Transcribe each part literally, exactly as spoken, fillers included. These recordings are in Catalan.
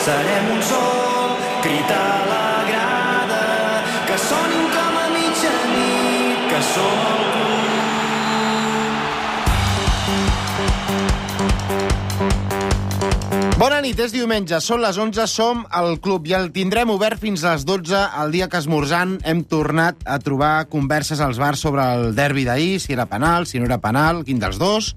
Serem un sol, crit a la grada, que sonin com a mitjanit, que som el club. Bona nit, és diumenge, són les onze, som al club i el tindrem obert fins a les dotze, el dia que esmorzant hem tornat a trobar converses als bars sobre el derbi d'ahir, si era penal, si no era penal, quin dels dos,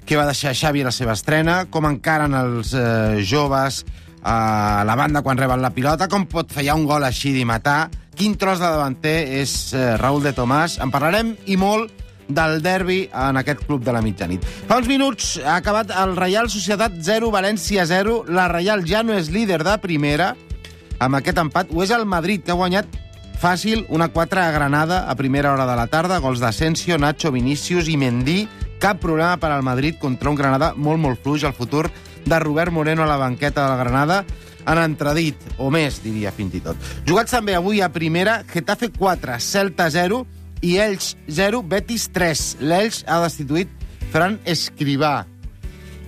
què va deixar Xavi a la seva estrena, com encaren els eh, joves a la banda quan reben la pilota, com pot fallar un gol així d'y matar, quin tros de davanter és eh, Raúl de Tomàs. En parlarem i molt del derbi en aquest club de la mitjanit. Fa uns minuts ha acabat el Reial Societat zero, València zero. La Reial ja no és líder de primera amb aquest empat. Ho és el Madrid, que ha guanyat fàcil una quatre a Granada a primera hora de la tarda. Gols d'Asensio, Nacho, Vinícius i Mendy. Cap problema per al Madrid contra un Granada molt, molt fluix. El futur de Robert Moreno a la banqueta de la Granada en entredit, o més, diria fins i tot. Jugats també avui a primera, Getafe quatre, Celta zero, i Elx zero, Betis tres. L'Elx ha destituït Fran Escrivà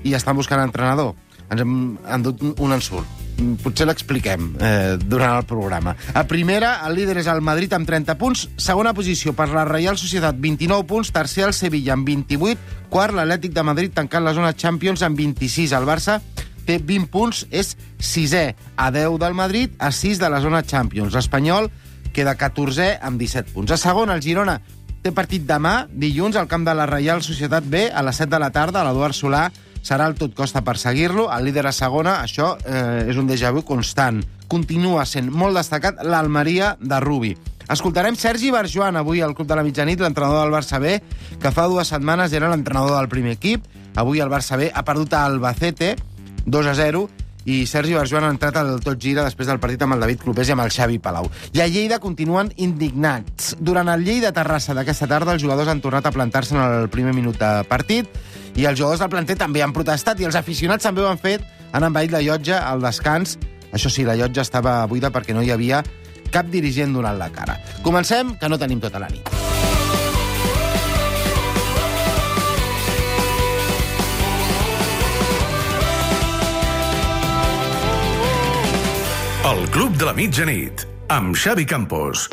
i estan buscant entrenador. Ens hem endut un ensurt. Potser l'expliquem eh, durant el programa. A primera, el líder és el Madrid amb trenta punts. Segona posició per la Reial Societat, vint-i-nou punts. Tercer, el Sevilla amb vint-i-vuit. Quart, l'Atlètic de Madrid tancant la zona Champions amb vint-i-sis. El Barça té vint punts, és sisè. A deu del Madrid, a sis de la zona Champions. L'Espanyol queda catorzè amb disset punts. A segon, el Girona té partit demà, dilluns, al camp de la Reial Societat B, a les set de la tarda. L'Eduard Solà serà el tot costa per seguir-lo. El líder a segona, això eh, és un déjà vu constant. Continua sent molt destacat l'Almeria de Rubi. Escoltarem Sergi Barjuan avui al Club de la Mitjanit, l'entrenador del Barça B, que fa dues setmanes era l'entrenador del primer equip. Avui el Barça B ha perdut a Albacete, dos a zero, i Sergi Barjuan ha entrat al tot gira després del partit amb el David Clopés i amb el Xavi Palau. I a Lleida continuen indignats. Durant el Lleida-Terrassa d'aquesta tarda, els jugadors han tornat a plantar-se en el primer minut de partit i els jugadors del planter també han protestat i els aficionats també ho han fet, han envaït la llotja al descans. Això sí, la llotja estava buida perquè no hi havia cap dirigent donant la cara. Comencem, que no tenim tota la nit. El Club de la Mitjanit, amb Xavi Campos.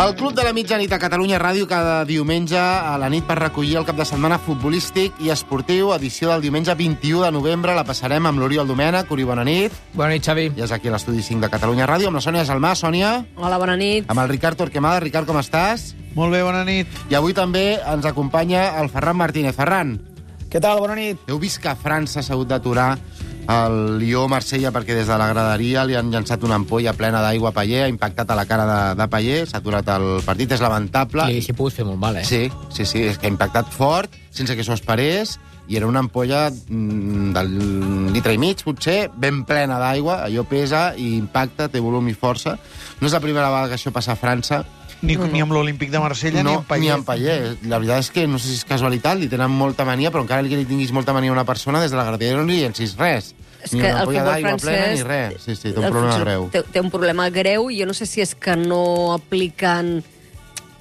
El Club de la Mitjanit a Catalunya Ràdio cada diumenge a la nit per recollir el cap de setmana futbolístic i esportiu. Edició del diumenge vint-i-u de novembre. La passarem amb l'Oriol Domènech. Ori, bona nit. Bona nit, Xavi. I és aquí a l'estudi cinc de Catalunya Ràdio amb la Sònia Salmà. Sònia. Hola, bona nit. Amb el Ricard Torquemada. Ricard, com estàs? Molt bé, bona nit. I avui també ens acompanya el Ferran Martínez. Ferran. Què tal? Bona nit. Heu vist que França s'ha hagut d'aturar el Lió-Marsella perquè des de la graderia li han llançat una ampolla plena d'aigua a Payet, ha impactat a la cara de, de Payet, s'ha aturat el partit, és lamentable. Sí, s'hi ha pogut fer molt mal, eh? Sí, sí, sí, és que ha impactat fort, sense que s'ho esperés, i era una ampolla mm, del litre i mig, potser, ben plena d'aigua, allò pesa i impacta, té volum i força. No és la primera vegada que això passa a França. Ni, no, no. ni amb l'Olímpic de Marsella, no, ni amb Payet. Ni amb Payet. La veritat és que no sé si és casualitat, li tenen molta mania, però encara que li tinguis molta mania a una persona, des de la graderia no li llencis res. És ni que una el ampolla futbol d'aigua francès... plena ni res. Sí, sí, té un problema greu. Té, té un problema greu i jo no sé si és que no apliquen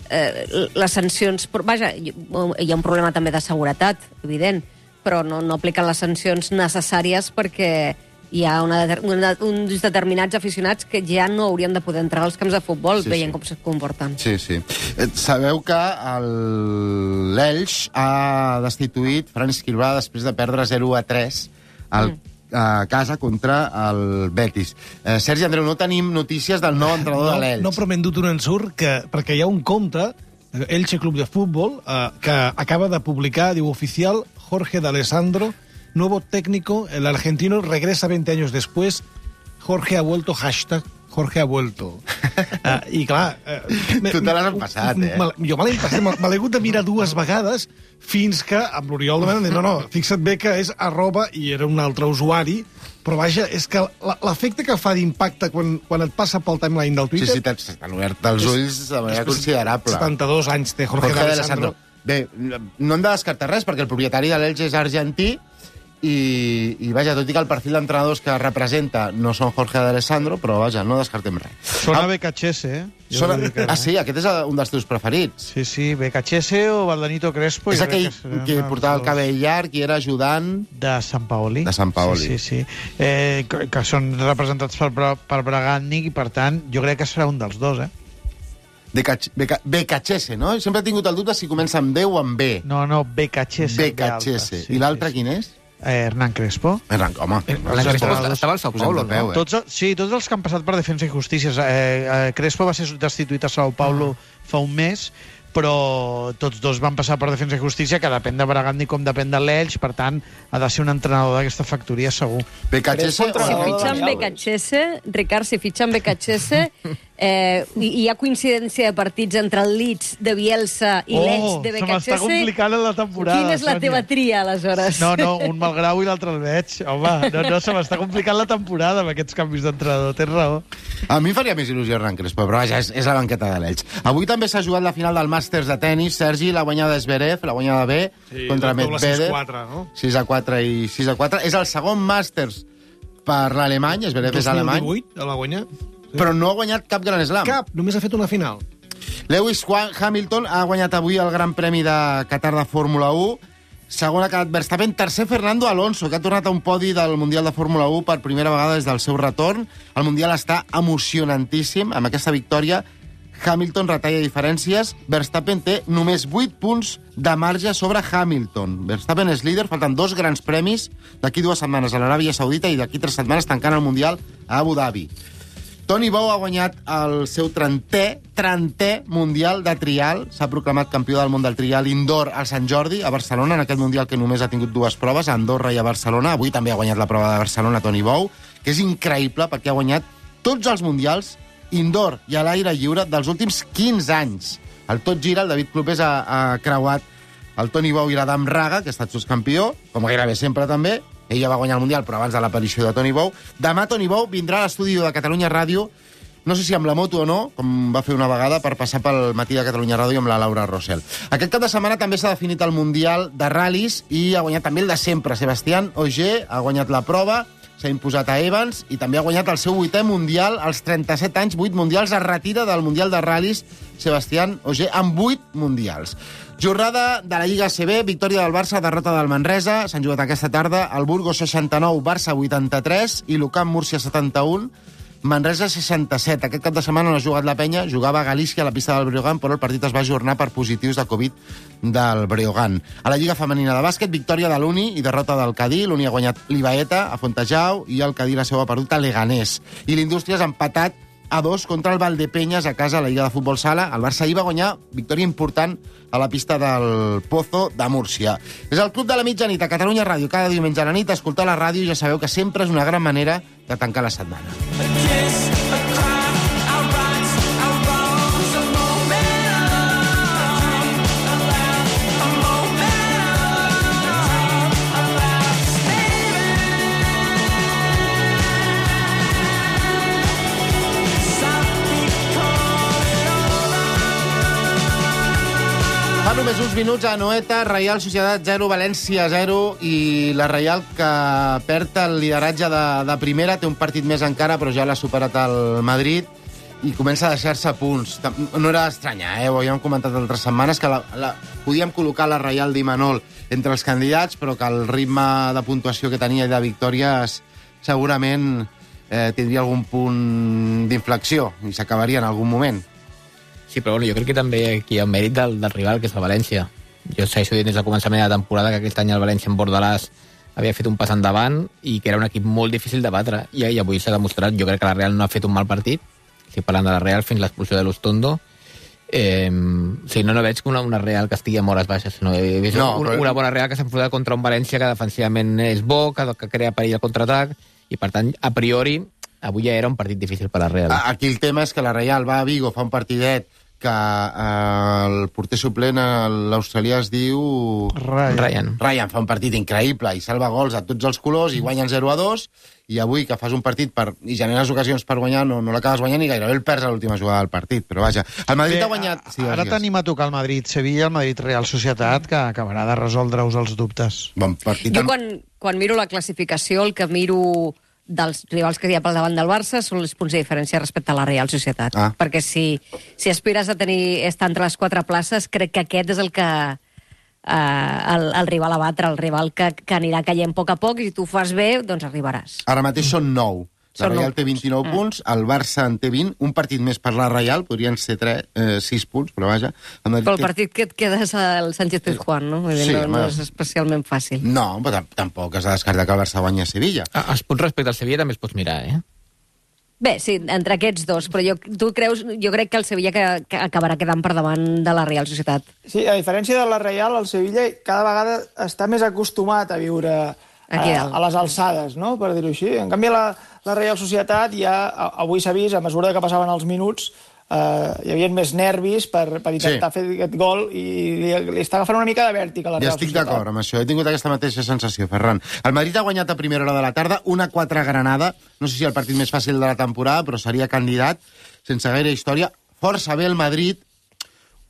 eh, les sancions... Però, vaja, hi ha un problema també de seguretat, evident, però no, no apliquen les sancions necessàries perquè hi ha una, una, uns determinats aficionats que ja no haurien de poder entrar als camps de futbol, sí, veient sí. com se comporten. Sí, sí. Sabeu que l'Elx ha destituït Fran Escrivà després de perdre zero a tres al, mm. a casa contra el Betis. Eh, Sergi Andreu, no tenim notícies del nou entrenador no, de l'Elx. No, però m'he endut un ensurt que, perquè hi ha un compte, Elche Club de Fútbol, eh, que acaba de publicar, diu, oficial, Jorge D'Alessandro, nuevo técnico, el argentino regresa veinte años después, Jorge ha vuelto, hashtag Jorge ha vuelto. Uh, I clar... Uh, tu te l'has empassat, eh? Jo me l'he empassat, me l'he hagut de mirar dues vegades fins que amb l'Oriol de Mena no, no, fixa't bé que és arroba i era un altre usuari, però vaja, és que l'efecte que fa d'impacte quan, quan et passa pel timeline del Twitter... Sí, sí, t'han obert els ulls de manera considerable. setanta-dos anys té Jorge, Jorge D'Alessandro. Bé, no hem de descartar res, perquè el propietari de l'Elx és argentí, i, i vaja, tot i que el perfil d'entrenadors que representa no són Jorge D'Alessandro, però vaja, no descartem res. Sona ah, Becachese, eh? Sona... Ah, sí? Aquest és un dels teus preferits. Sí, sí, Becachese o Valdanito Crespo. És aquell que, que portava el cabell llarg i era ajudant... De Sant Paoli. De Sant Paoli. Sí, sí, sí. Eh, que, que són representats per, per Bragatnik i, per tant, jo crec que serà un dels dos, eh? Becachese, no? Sempre he tingut el dubte si comença amb D o amb B. No, no, Becachese. Becachese. I l'altre quin és? Eh, Hernán Crespo. Hernán, home. Hernán Crespo estava al Sao Paulo, peu, eh? Tots, sí, tots els que han passat per Defensa i Justícia. Eh, eh, Crespo va ser destituït a Sao Paulo ah. fa un mes, però tots dos van passar per Defensa i Justícia, que depèn de Bragatnik com depèn de l'Elx, per tant, ha de ser un entrenador d'aquesta factoria, segur. Becachese... Si fitxen Becachese, Ricard, si fitxen Becachese, eh, hi ha coincidència de partits entre el Leeds de Bielsa i oh, l'Elx de Becachese. Se m'està complicant la temporada, Quina és la Sònia. teva tria, aleshores? No, no, un Malgrau i l'altre el veig. Home, no, no, se m'està complicant la temporada amb aquests canvis d'entrenador, tens raó. A mi faria més il·lusió Hernán Crespo, però vaja, és, és la banqueta de l'Elx. Avui també s'ha jugat la final del Màsters de tennis. Sergi, la guanyada Zverev, la guanyada B, sí, contra Medvedev. sis a quatre, no? sis a quatre i sis a quatre. És el segon Màsters per l'alemany, Zverev és alemany. dos mil divuit, la guanya. Sí. Però no ha guanyat cap Gran Slam. Cap, només ha fet una final. Lewis Hamilton ha guanyat avui el Gran Premi de Qatar de Fórmula u. Segon ha quedat Verstappen. Tercer, Fernando Alonso, que ha tornat a un podi del Mundial de Fórmula u per primera vegada des del seu retorn. El Mundial està emocionantíssim. Amb aquesta victòria, Hamilton retalla diferències. Verstappen té només vuit punts de marge sobre Hamilton. Verstappen és líder, falten dos grans premis d'aquí dues setmanes a l'Aràbia Saudita i d'aquí tres setmanes tancant el Mundial a Abu Dhabi. Toni Bou ha guanyat el seu trentè, trentè Mundial de Trial. S'ha proclamat campió del món del trial indoor al Sant Jordi, a Barcelona, en aquest Mundial que només ha tingut dues proves, a Andorra i a Barcelona. Avui també ha guanyat la prova de Barcelona Toni Bou, que és increïble perquè ha guanyat tots els Mundials indoor i a l'aire lliure dels últims quinze anys. El Tot Gira, el David Clopés ha, ha creuat el Toni Bou i l'Adam Raga, que ha estat subcampió, com gairebé sempre també. Ella va guanyar el Mundial, però abans de l'aparició de Toni Bou. Demà Toni Bou vindrà a l'estudi de Catalunya Ràdio, no sé si amb la moto o no, com va fer una vegada, per passar pel matí de Catalunya Ràdio amb la Laura Rossell. Aquest cap de setmana també s'ha definit el Mundial de ral·lis i ha guanyat també el de sempre. Sebastián Ogier ha guanyat la prova, s'ha imposat a Evans i també ha guanyat el seu vuitè Mundial, als trenta-set anys, vuit Mundials, es retira del Mundial de ral·lis Sebastián Ogier amb vuit Mundials. Jornada de la Lliga A C B, victòria del Barça, derrota del Manresa, s'han jugat aquesta tarda, el Burgos seixanta-nou, Barça vuitanta-tres i l'Ucamp Múrcia setanta-un, Manresa seixanta-set. Aquest cap de setmana no ha jugat la Penya, jugava a Galícia a la pista del Breogán, però el partit es va ajornar per positius de Covid del Breogán. A la Lliga Femenina de Bàsquet, victòria de l'Uni i derrota del Cadí. L'Uni ha guanyat l'Ibaeta a Fontejau i el Cadí la seva perdut a Leganés. I l'Indústria ha empatat a dos contra el Valdepeñas a casa a la Lliga de Futbol Sala. El Barça ahir va guanyar victòria important a la pista del Pozo de Múrcia. És el Club de la Mitjanit a Catalunya Ràdio. Cada diumenge a la nit escoltar la ràdio ja sabeu que sempre és una gran manera de tancar la setmana. Fa només uns minuts a Anoeta, Reial Societat zero, València zero, i la Reial que perd el lideratge de, de primera, té un partit més encara, però ja l'ha superat el Madrid i comença a deixar-se punts. No era estranya, eh? Ho havíem comentat altres setmanes, que la, la, podíem col·locar la Reial d'Imanol entre els candidats, però que el ritme de puntuació que tenia i de victòries segurament eh, tindria algun punt d'inflexió i s'acabaria en algun moment. Sí, però bueno, jo crec que també aquí hi ha un mèrit del, del rival, que és el València. Jo segueixo dient des del començament de la temporada que aquest any el València en Bordalàs havia fet un pas endavant i que era un equip molt difícil de batre. I, i avui s'ha demostrat. Jo crec que la Real no ha fet un mal partit. Estic parlant de la Real fins l'expulsió de l'Ustondo. Eh, o sigui, no, no veig una, una Real que estigui amb hores baixes, sinó he vist no, una, però... una bona Real que s'ha enfrontat contra un València que defensivament és bo, que, que crea perill al contraatac, i per tant, a priori, avui ja era un partit difícil per la Real. Aquí el tema és que la Real va a Vigo, fa un partidet que eh, el porter suplent, l'australià, es diu... Ryan. Ryan. Ryan fa un partit increïble i salva gols a tots els colors i guanyen zero a dos, i avui que fas un partit per, i generes ocasions per guanyar, no, no l'acabes guanyant i gairebé el perds a l'última jugada del partit. Però vaja, el Madrid Bé, ha guanyat... Sí, ara digues. tenim a tocar el Madrid-Sevilla, el Madrid-Real Societat, que acabarà de resoldre-us els dubtes. Bon partit. Jo amb- quan, quan miro la classificació, el que miro dels rivals que hi ha pel davant del Barça són els punts de diferència respecte a la Real Societat. Ah. Perquè si, si aspires a tenir estar entre les quatre places, crec que aquest és el que eh, el, el rival a batre, el rival que, que anirà caient a poc a poc, i si tu fas bé, doncs arribaràs. Ara mateix són nou. La Són Real nou té vint-i-nou punts. punts, el Barça en té vint, un partit més per la Real, podrien ser tres, eh, sis punts, però vaja... El Madrid Pel té- partit que et quedes al Sánchez Pizjuán, no? Vull dir, Sí, no, no home. és especialment fàcil. No, però tam- tampoc has de descartar que el Barça guanya a Sevilla. Ah, els punts respecte al Sevilla també els pots mirar, eh? Bé, sí, entre aquests dos, però jo, tu creus, jo crec que el Sevilla que, que acabarà quedant per davant de la Real Societat. Sí, a diferència de la Real, el Sevilla cada vegada està més acostumat a viure Aquí a, dalt. a les alçades, no?, per dir-ho així. En canvi, la, la Real Societat ja, a- avui s'ha vist, a mesura que passaven els minuts, eh, hi havia més nervis per, per intentar Sí. fer aquest gol i li, li està agafant una mica de vèrtic a la Ja Real estic Societat. d'acord amb això, he tingut aquesta mateixa sensació, Ferran. El Madrid ha guanyat a primera hora de la tarda, una quatre a Granada, no sé si el partit més fàcil de la temporada, però seria candidat, sense gaire història. Força bé el Madrid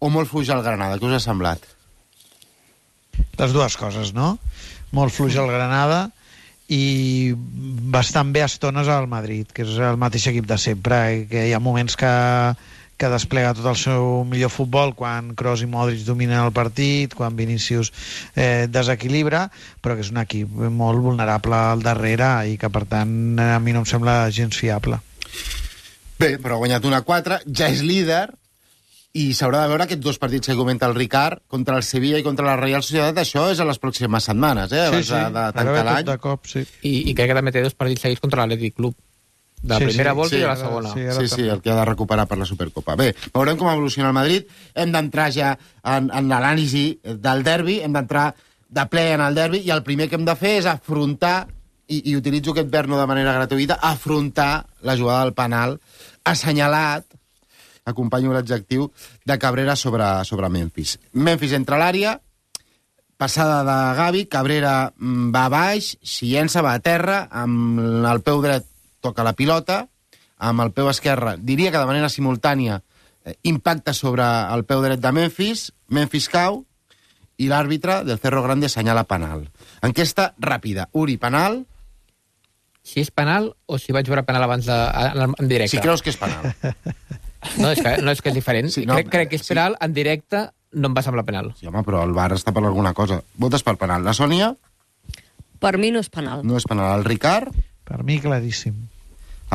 o molt fluix el Granada, què us ha semblat? Les dues coses, no? Molt fluix el Granada i bastant bé a estones al Madrid, que és el mateix equip de sempre, i que hi ha moments que, que desplega tot el seu millor futbol quan Kroos i Modric dominen el partit, quan Vinícius eh, desequilibra, però que és un equip molt vulnerable al darrere i que, per tant, a mi no em sembla gens fiable. Bé, però ha guanyat una quatre, ja és líder, i s'haurà de veure aquests dos partits que comenta el Ricard, contra el Sevilla i contra la Real Societat. Això és a les pròximes setmanes, eh? Abans de, de tancar Ara ve l'any. tot de cop, sí. I, i crec que també té dos partits seguits contra l'Atlètic Club. De la Sí, primera sí, volta sí, i de la ara- segona. sí, ara Sí, sí, també. el que ha de recuperar per la Supercopa. Bé, veurem com evoluciona el Madrid. Hem d'entrar ja en, en l'anàlisi del derbi, hem d'entrar de ple en el derbi, i el primer que hem de fer és afrontar, i, i utilitzo aquest verb no de manera gratuïta, afrontar la jugada del penal assenyalat, acompanyo l'adjectiu, de Cabrera sobre, sobre Memphis. Memphis entra a l'àrea, passada de Gavi, Cabrera mm, va a baix, s'hi llença, va a terra, amb el peu dret toca la pilota, amb el peu esquerre, diria que de manera simultània, eh, impacta sobre el peu dret de Memphis, Memphis cau, i l'àrbitre del Cerro Grande assenyala penal. Enquesta ràpida. Uri, penal? Si és penal o si vaig veure penal abans de, en, en directe. Si creus que és penal. No, és que, no, és que és diferent. Sí, Sí, no, no, crec, crec que és sí. penal, en directe no em va semblar penal. Sí, home, però el V A R està per alguna cosa. Votes per penal. La Sònia? Per mi no és penal. No és penal. El Ricard? Per mi, claríssim.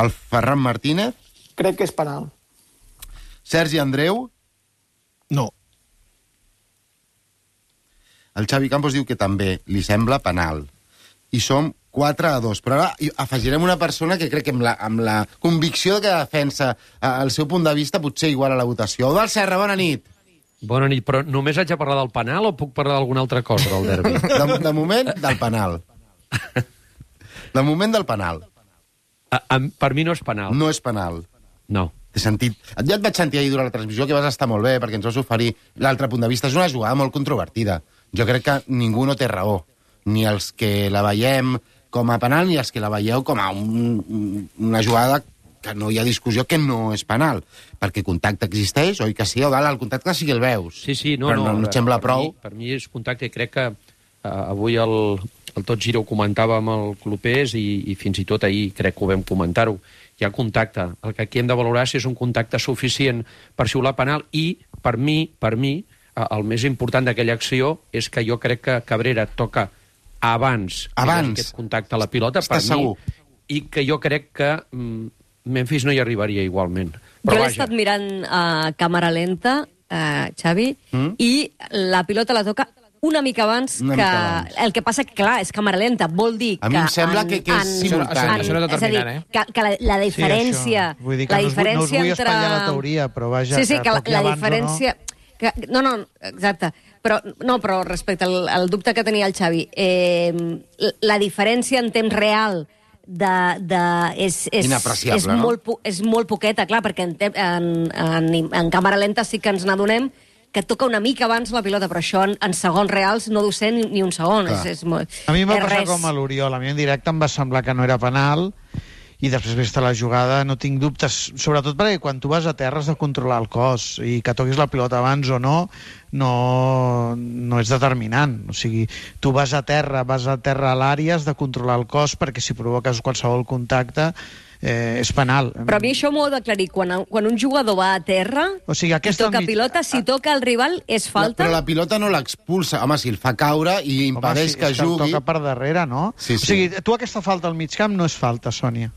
El Ferran Martínez? Crec que és penal. Sergi Andreu? No. El Xavi Campos diu que també li sembla penal. I som quatre a dos. Però ara hi afegirem una persona que crec que amb la, amb la convicció que defensa eh, el seu punt de vista potser igual a la votació. Eudald Serra, bona nit. Bona nit, però només haig de parlar del penal o puc parlar d'alguna altra cosa del derbi? De, de moment, del penal. De moment, del penal. A, a, per mi no és penal. No és penal. No. T'he sentit... Ja et vaig sentir ahir durant la transmissió que vas estar molt bé perquè ens vas oferir l'altre punt de vista. És una jugada molt controvertida. Jo crec que ningú no té raó. Ni els que la veiem com a penal ni els que la veieu com a un, una jugada que no hi ha discussió que no és penal. Perquè contacte existeix, oi que sí? O dalt, el contacte sí que el veus. Sí, sí, no, Però no. no, no et sembla per prou? Mi, per mi és contacte i crec que uh, avui el, el Tot Gira ho comentava amb el Clopés i, i fins i tot ahir crec que ho vam comentar-ho. Hi ha contacte. El que aquí hem de valorar si és un contacte suficient per xiular penal i, per mi, per mi, uh, el més important d'aquella acció és que jo crec que Cabrera toca abans, Abans. aquest contacte a la pilota, Estàs per mi, segur? i que jo crec que mm, Memphis no hi arribaria igualment. Jo Però l'he vaja, estat mirant a càmera lenta, eh, Xavi, Mm? i la pilota la toca una mica abans Una que... mica abans. El que passa que, clar, és càmera lenta. Vol dir A mi que... em sembla que- que és en- simultani. en- Això no és és a dir, determinant, eh? que, que la, la diferència... Sí, vull dir que la no us, vull- no us diferència vull entre... espatllar la teoria, però vaja, Sí, sí, que la, toqui la abans o diferència... Que, no, no, exacte. Però, no, però respecte al, al dubte que tenia el Xavi, eh, la diferència en temps real de, de, és, és, Inapreciable, és, no? molt, po- és molt poqueta, clar, perquè en, te- en, en, en càmera lenta sí que ens n'adonem que toca una mica abans la pilota, però això en, en segons reals no deu ser ni, ni un segon. Clar. És, és molt, A mi em va és passar res. com a l'Oriol. A mi en directe em va semblar que no era penal i després vista la jugada no tinc dubtes, sobretot perquè quan tu vas a terra has de controlar el cos i que toquis la pilota abans o no no, no és determinant. O sigui, tu vas a terra, vas a terra a l'àrea, has de controlar el cos perquè si provoques qualsevol contacte eh, és penal. Però a mi això m'ho heu d'aclarir. Quan, quan un jugador va a terra O sigui, i aquesta toca mig- pilota, si toca el rival, és falta? Però la pilota no l'expulsa. Home, si el fa caure i impedeix Home, sí, que és el jugui... toca per darrere, no? Sí, sí. O sigui, tu aquesta falta al mig camp no és falta, Sònia.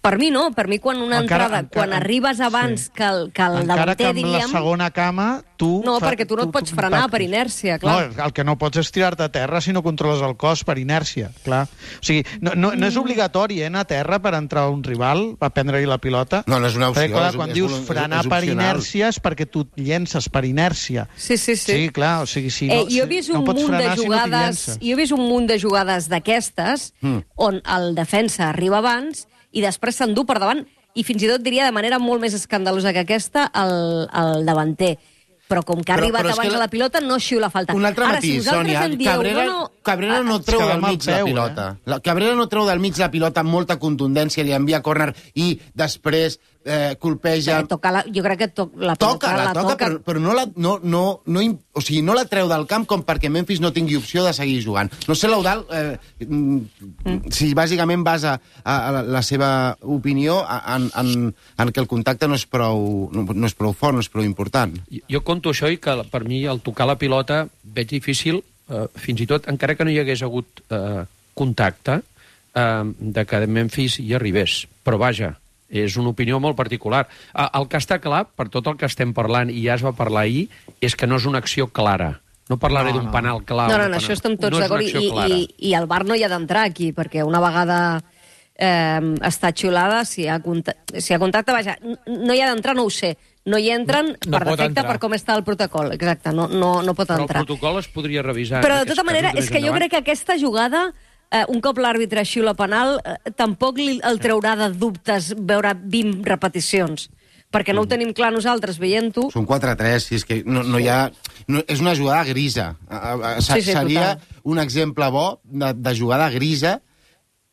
Per mi no, per mi quan una Encara- entrada, encara- quan arribes abans sí. que el, que el Encara que davanter, amb la diríem... segona cama tu... No, fa- perquè tu no et pots frenar per inèrcia, clar. No, el que no pots és tirar-te a terra si no controles el cos per inèrcia, clar. O sigui, no, no, no és obligatori eh, anar a terra per entrar a un rival, per prendre-li la pilota. No, no és una opció, Perquè, clar, és- quan és dius volun- frenar és per opcional. inèrcia és perquè tu et llences per inèrcia. Sí, sí, sí. Sí, clar, o sigui, si eh, no, jo he si- vist no un pots munt de frenar si no t'hi jugades, llences. jo he vist un munt de jugades d'aquestes Mm. on el defensa arriba abans i després s'endú per davant i fins i tot diria de manera molt més escandalosa que aquesta el, el davanter. Però com que ha Però- arribat però és abans que a la pilota, no xiula falta. Un altre Ara, matís, si vosaltres Sònia. em dieu, Cabrera, no, no, Cabrera no és treu que del demà mig el la veu, pilota. eh? La Cabrera no treu del mig la pilota amb molta contundència, li envia córner i després eh, colpeja... Perquè toca la, jo crec que to, la pilota Toca, la, la toca, toca. però, però no, la, no, no, no, im- o sigui, no la treu del camp com perquè Memphis no tingui opció de seguir jugant. No sé, l'Eudal, eh, mm. si bàsicament basa a, a la, la seva opinió en, en, en que el contacte no és, prou, no, no és prou fort, no és prou important. Jo, jo conto això i que per mi el tocar la pilota veig difícil, eh, fins i tot, encara que no hi hagués hagut eh, contacte, eh, de que Memphis hi arribés. Però vaja, és una opinió molt particular. Eh, el que està clar, per tot el que estem parlant, i ja es va parlar ahir, és que no és una acció clara. No parlaré No, d'un no. penal clar. No, o no, un no, penal. això estem tots no és una d'acord. acció I, clara. i, I el V A R no hi ha d'entrar aquí, perquè una vegada eh, està xiulada, si hi ha, contacte, si hi ha contacte, vaja, n- no hi ha d'entrar, no ho sé. No hi entren No- no per pot defecte, entrar. per com està el protocol. Exacte, no, no, no pot Però el entrar. protocol es podria revisar. Però, en de tota aquests manera, casos és que més jo endavant. crec que aquesta jugada, eh, un cop l'àrbitre xiula penal, eh, tampoc li, el traurà de dubtes veure vint repeticions. Perquè no ho tenim clar nosaltres, veient-ho. Són quatre a tres, si és que no, no hi ha... No, és una jugada grisa. A- a- a- Sí, sí, Seria total. un exemple bo de, de jugada grisa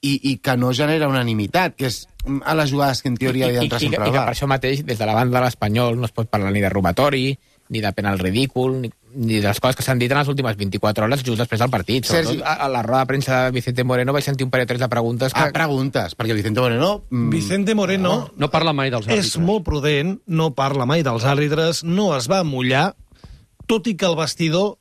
i, i que no genera unanimitat, que és a les jugades que en teoria I, havia i, d'entrar i, sempre i al que V A per R. això mateix, des de la banda de l'Espanyol, no es pot parlar ni de robatori, ni de penal ridícul, ni, ni de les coses que s'han dit en les últimes vint-i-quatre hores just després del partit. Sergi. Sobretot a, a la roda de premsa de Vicente Moreno vaig sentir un parell o tres de preguntes que... Ah, preguntes, perquè Vicente Moreno... mm, Vicente Moreno No parla mai dels àrbitres. és molt prudent, no parla mai dels àrbitres, no es va mullar, tot i que al vestidor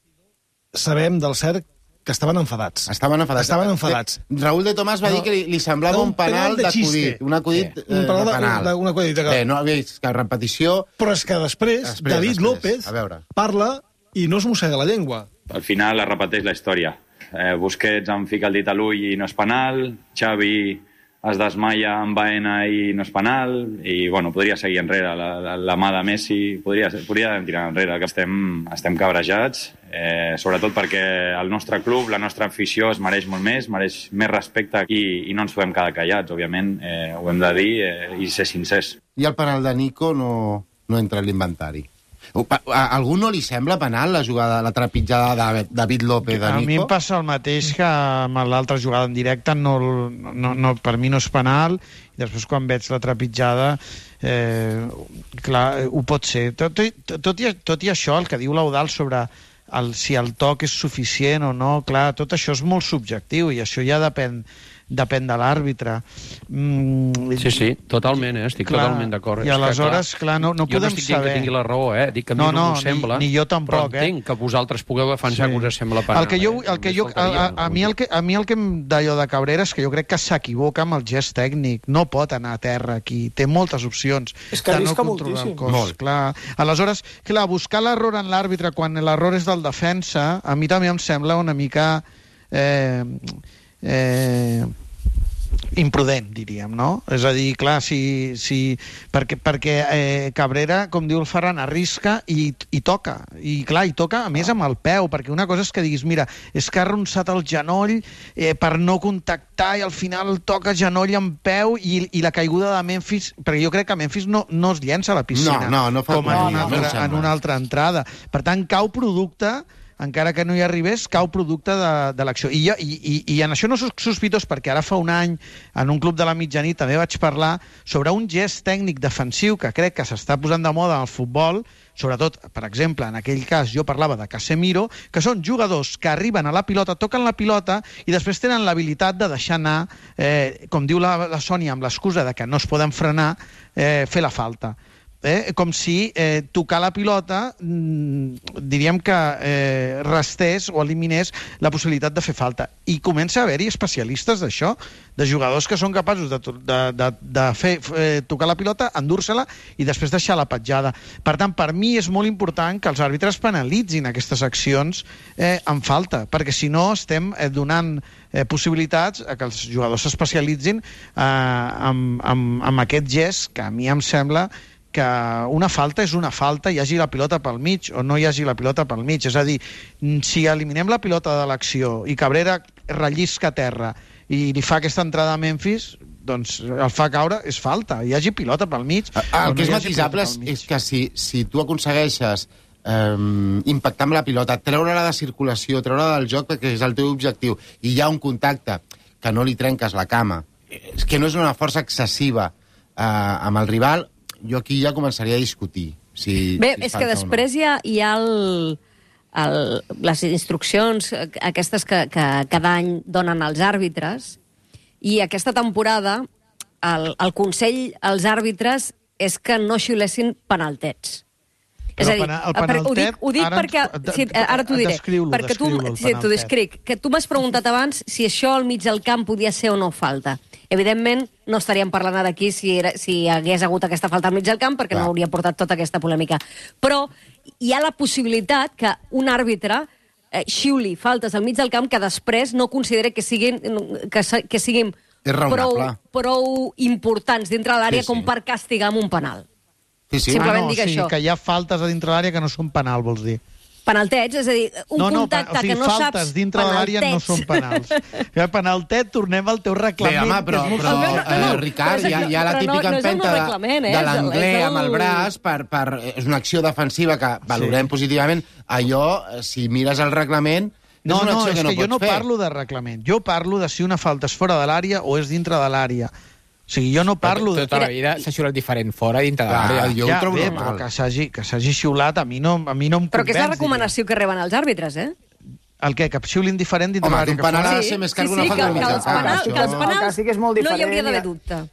sabem del cert que estaven enfadats. Estaven enfadats. Estaven enfadats. Eh, Raúl de Tomàs va No. dir que li, li semblava No, un penal de d'acudit. xiste. Un acudit Sí. eh, Un penal de de- penal. de- un acudit de- Eh, no havia vist cap repetició. Però és que després, Després, David després. López A veure. parla i no es mossega la llengua. Al final es repeteix la història. Eh, Busquets em fica el dit a l'ull i no és penal, Xavi es desmaia amb Baena i no és penal, i bueno, podria seguir enrere. La, la, la mà de Messi podria, podria tirar enrere, que estem, estem cabrejats, eh, sobretot perquè el nostre club, la nostra afició es mereix molt més, mereix més respecte i, i no ens podem quedar callats, òbviament, eh, ho hem de dir eh, i ser sincers. I el penal de Nico no, no entra en l'inventari. A, a algú no li sembla penal la jugada, la trepitjada de David López de A mi Nico? em passa el mateix que amb l'altra jugada en directe, no, no, no, per mi no és penal, i després quan veig la trepitjada, eh, clar, ho pot ser. Tot, tot, tot, i, tot i això, el que diu l'Eudal sobre el, si el toc és suficient o no, clar, tot això és molt subjectiu i això ja depèn depèn de l'àrbitre. Mm, Sí, sí, totalment, eh? estic clar, totalment d'acord. I És que, aleshores, clar, no, no jo no podem estic dient saber. que tingui la raó, eh? Dic que a mi No, no, no, m'ho sembla. ni- ni jo tampoc, però entenc que vosaltres pugueu defensar Sí. que us sembla penal. El que jo, eh? el que jo, Només a, a, faltaria, a, mi el que, a mi el que em d'allò de Cabrera és que jo crec que s'equivoca amb el gest tècnic. No pot anar a terra aquí. Té moltes opcions. És que de arrisca no controlar el moltíssim. cos. Molt. Clar. Aleshores, clar, buscar l'error en l'àrbitre quan l'error és del defensa, a mi també em sembla una mica... Eh, eh, imprudent, diríem, no? És a dir, clar, si, si, perquè, perquè eh, Cabrera, com diu el Ferran, arrisca i, i toca. I clar, i toca, a més, amb el peu, perquè una cosa és que diguis, mira, és que ha arronsat el genoll eh, per no contactar i al final toca genoll amb peu i, i la caiguda de Memphis, perquè jo crec que Memphis no, no es llença a la piscina. No, no, no fa com en, no, una no, altra, no en una altra entrada. Per tant, cau producte, encara que no hi arribés, cau producte de, de l'acció. I, jo, i, i, I en això no soc sospitós, perquè ara fa un any, en un club de la mitjanit, també vaig parlar sobre un gest tècnic defensiu que crec que s'està posant de moda en el futbol, sobretot, per exemple, en aquell cas jo parlava de Casemiro, que són jugadors que arriben a la pilota, toquen la pilota i després tenen l'habilitat de deixar anar, eh, com diu la, la Sònia, amb l'excusa de que no es poden frenar, eh, fer la falta. Eh, com si eh, tocar la pilota mmm, diríem que eh, restés o eliminés la possibilitat de fer falta. I comença a haver-hi especialistes d'això, de jugadors que són capaços de, de, de, de fer, eh, tocar la pilota, endur-se-la i després deixar la petjada. Per tant, per mi és molt important que els àrbitres penalitzin aquestes accions eh, en falta, perquè si no estem eh, donant eh, possibilitats a que els jugadors s'especialitzin eh, amb, amb, amb aquest gest que a mi em sembla que una falta és una falta, hi hagi la pilota pel mig o no hi hagi la pilota pel mig. És a dir, si eliminem la pilota de l'acció i Cabrera rellisca a terra i li fa aquesta entrada a Memphis, doncs el fa caure, és falta. Hi hagi pilota pel mig. El que és matisable és que si, si tu aconsegueixes eh, impactar amb la pilota, treure-la de circulació, treure-la del joc, perquè és el teu objectiu, i hi ha un contacte que no li trenques la cama, és que no és una força excessiva eh, amb el rival, jo aquí ja començaria a discutir. Si, Bé, si és que després hi ha, hi ha el, el, les instruccions aquestes que, que cada any donen als àrbitres, i aquesta temporada el, el consell als àrbitres és que no xiulessin penaltets. Però és a dir, el penaltet, ho dic, ho dic ara, perquè... Sí, ara t'ho diré. Perquè tu, sí, t'ho descric. Que tu m'has preguntat abans si això al mig del camp podia ser o no falta. Evidentment, no estaríem parlant ara aquí si, era, si hagués hagut aquesta falta al mig del camp, perquè Clar. no hauria portat tota aquesta polèmica. Però hi ha la possibilitat que un àrbitre eh, xiuli faltes al mig del camp que després no consideri que siguin, que, que siguin prou, prou importants dintre de l'àrea sí, sí. com per castigar amb un penal. Sí, sí. Simplement ah, no, dic sí, això. Que hi ha faltes a dintre l'àrea que no són penal, vols dir? Penaltets, és a dir, un no, no, contacte o sigui, que no saps... faltes dintre de l'àrea no són penals. Que penaltet, tornem al teu reglament. Bé, home, però, però no, no, no, eh, Ricard, hi ha, hi ha la típica no, no empenta de, eh? de l'anglès el... amb el braç, per, per, és una acció defensiva que valorem sí. positivament. Allò, si mires el reglament, no, és una no, acció és que no que jo pots no fer. parlo de reglament. Jo parlo de si una falta és fora de l'àrea o és dintre de l'àrea. O sigui, jo no parlo... Però tota la vida s'ha xiulat diferent fora dintre de l'àrea. Jo ho ja, trobo bé, normal. però que s'hagi que s'hagi xiulat a mi no, a mi no em Però que és la convenç, recomanació que reben els àrbitres, eh? El què? Que xiulin diferent dintre Home, l'àrea un que penal fora? ha de ser més car que una sí, falta que, de mig que del els camp. penals, això. que els penals El càstig és molt no hi diferent, hauria d'haver ja. dubte.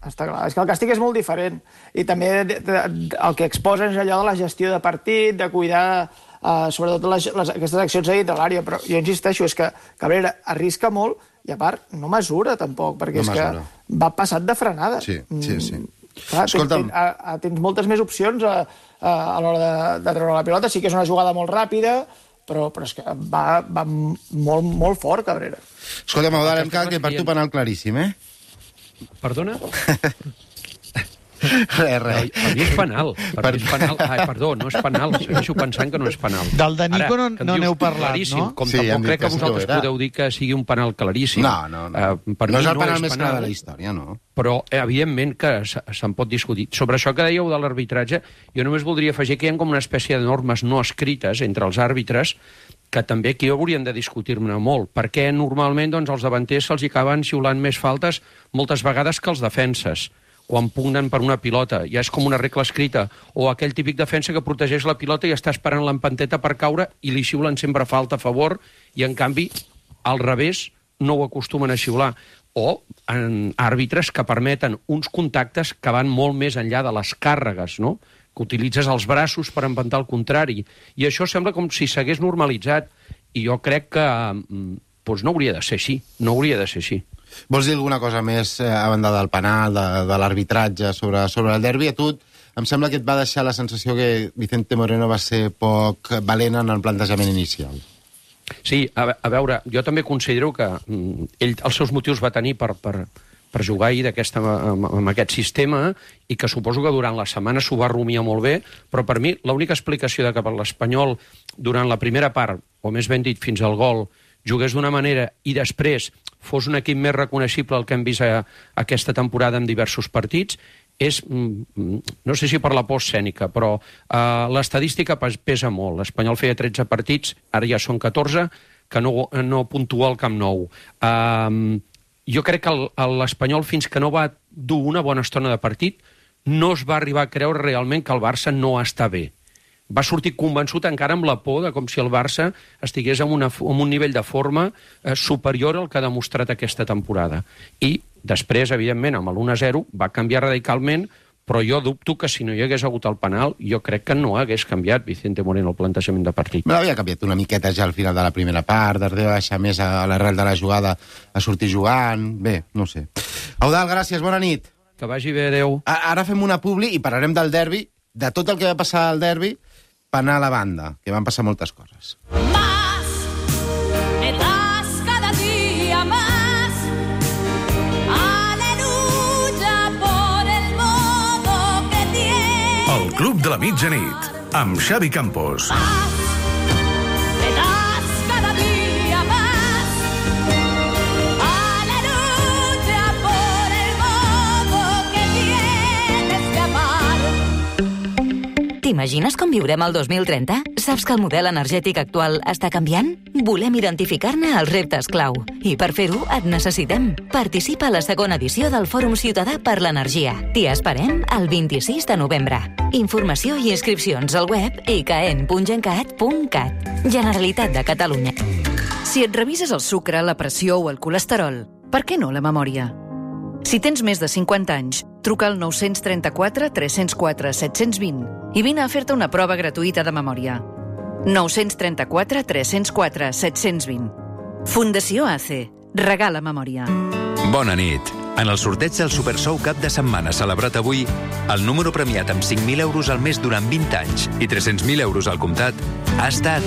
Està clar, és que el càstig és molt diferent. I també de, de, de, el que exposen és allò de la gestió de partit, de cuidar uh, sobretot les, les, aquestes accions a dintre l'àrea. Però jo insisteixo, és que Cabrera arrisca molt i a part no mesura tampoc, perquè No és mesura. que va passat de frenada. Sí, sí, sí. Clar, Escolta'm. tens, a, a, tens moltes més opcions a, a, a l'hora de, de treure la pilota. Sí que és una jugada molt ràpida, però, però és que va, va molt, molt fort, Cabrera. Escolta, Maudal, que per tu penal claríssim, eh? Perdona? Res, res. Per mi és penal. Per mi és penal. Ai, perdó, no és penal. Segueixo pensant que no és penal. Del de Nico Ara, no- que em no dius n'heu parlat, claríssim, no? Com Sí, hem tampoc dit crec que que sí que ho vosaltres era. podeu dir que sigui un penal claríssim. No, no, no. Uh, per no mi és el no penal és més clar penal. de la història, no. Però, eh, evidentment, que se- se'n pot discutir. Sobre això que dèieu de l'arbitratge, jo només voldria afegir que hi ha com una espècie de normes no escrites entre els àrbitres que també aquí haurien de discutir-ne molt, perquè normalment doncs, els davanters se'ls acaben xiulant més faltes moltes vegades que els defenses, quan pugnen per una pilota. Ja és com una regla escrita. O aquell típic defensa que protegeix la pilota i està esperant l'empanteta per caure i li xiulen sempre falta a favor, i en canvi, al revés, no ho acostumen a xiular. O en àrbitres que permeten uns contactes que van molt més enllà de les càrregues, no?, que utilitzes els braços per empantar el contrari. I això sembla com si s'hagués normalitzat. I jo crec que doncs no hauria de ser així. No hauria de ser així. Vols dir alguna cosa més eh, a banda del penal, de, de l'arbitratge sobre, sobre el derbi? A tu em sembla que et va deixar la sensació que Vicente Moreno va ser poc valent en el plantejament inicial. Sí, a, a veure, jo també considero que mm, ell els seus motius va tenir per, per, per jugar ahir d'aquesta, amb, amb aquest sistema, i que suposo que durant la setmana s'ho va rumiar molt bé, però per mi l'única explicació de que per l'Espanyol durant la primera part, o més ben dit fins al gol, jugués d'una manera i després fos un equip més reconeixible el que hem vist a, a aquesta temporada en diversos partits, és, no sé si per la por escènica, però uh, l'estadística pesa molt. L'Espanyol feia tretze partits, ara ja són catorze, que no, no puntua al Camp Nou. Uh, jo crec que l'Espanyol, fins que no va dur una bona estona de partit, no es va arribar a creure realment que el Barça no està bé. Va sortir convençut encara amb la por de com si el Barça estigués en, una, en un nivell de forma eh, superior al que ha demostrat aquesta temporada. I després, evidentment, amb l'u a zero va canviar radicalment, però jo dubto que si no hi hagués hagut el penal, jo crec que no hagués canviat Vicente Moreno el plantejament de partit. Me l'havia canviat una miqueta ja al final de la primera part, de deixar més a l'arrel de la jugada a sortir jugant... Bé, no sé. Eudald, gràcies, bona nit. Que vagi bé, adeu. Ara fem una publi i parlarem del derbi, de tot el que va passar al derbi, penal a banda, que van passar moltes coses. Más, me das cada día más. Aleluya por el modo que tienes. El Club de la Mitjanit, amb Xavi Campos. Me das cada día más. Aleluya por el modo que tienes de amar. T'imagines com viurem el dos mil trenta? Saps que el model energètic actual està canviant? Volem identificar-ne els reptes clau. I per fer-ho et necessitem. Participa a la segona edició del Fòrum Ciutadà per l'Energia. T'hi esperem el vint-i-sis de novembre. Informació i inscripcions al web i c a e n punt gencat punt cat. Generalitat de Catalunya. Si et revises el sucre, la pressió o el colesterol, per què no la memòria? Si tens més de cinquanta anys, truca al nou tres quatre, tres zero quatre, set dos zero i vine a fer-te una prova gratuïta de memòria. nou tres quatre, tres zero quatre, set zero dos zero. Fundació A C E. Regala memòria. Bona nit. En el sorteig del Supersou cap de setmana celebrat avui, el número premiat amb cinc mil euros al mes durant vint anys i tres-cents mil euros al comptat ha estat...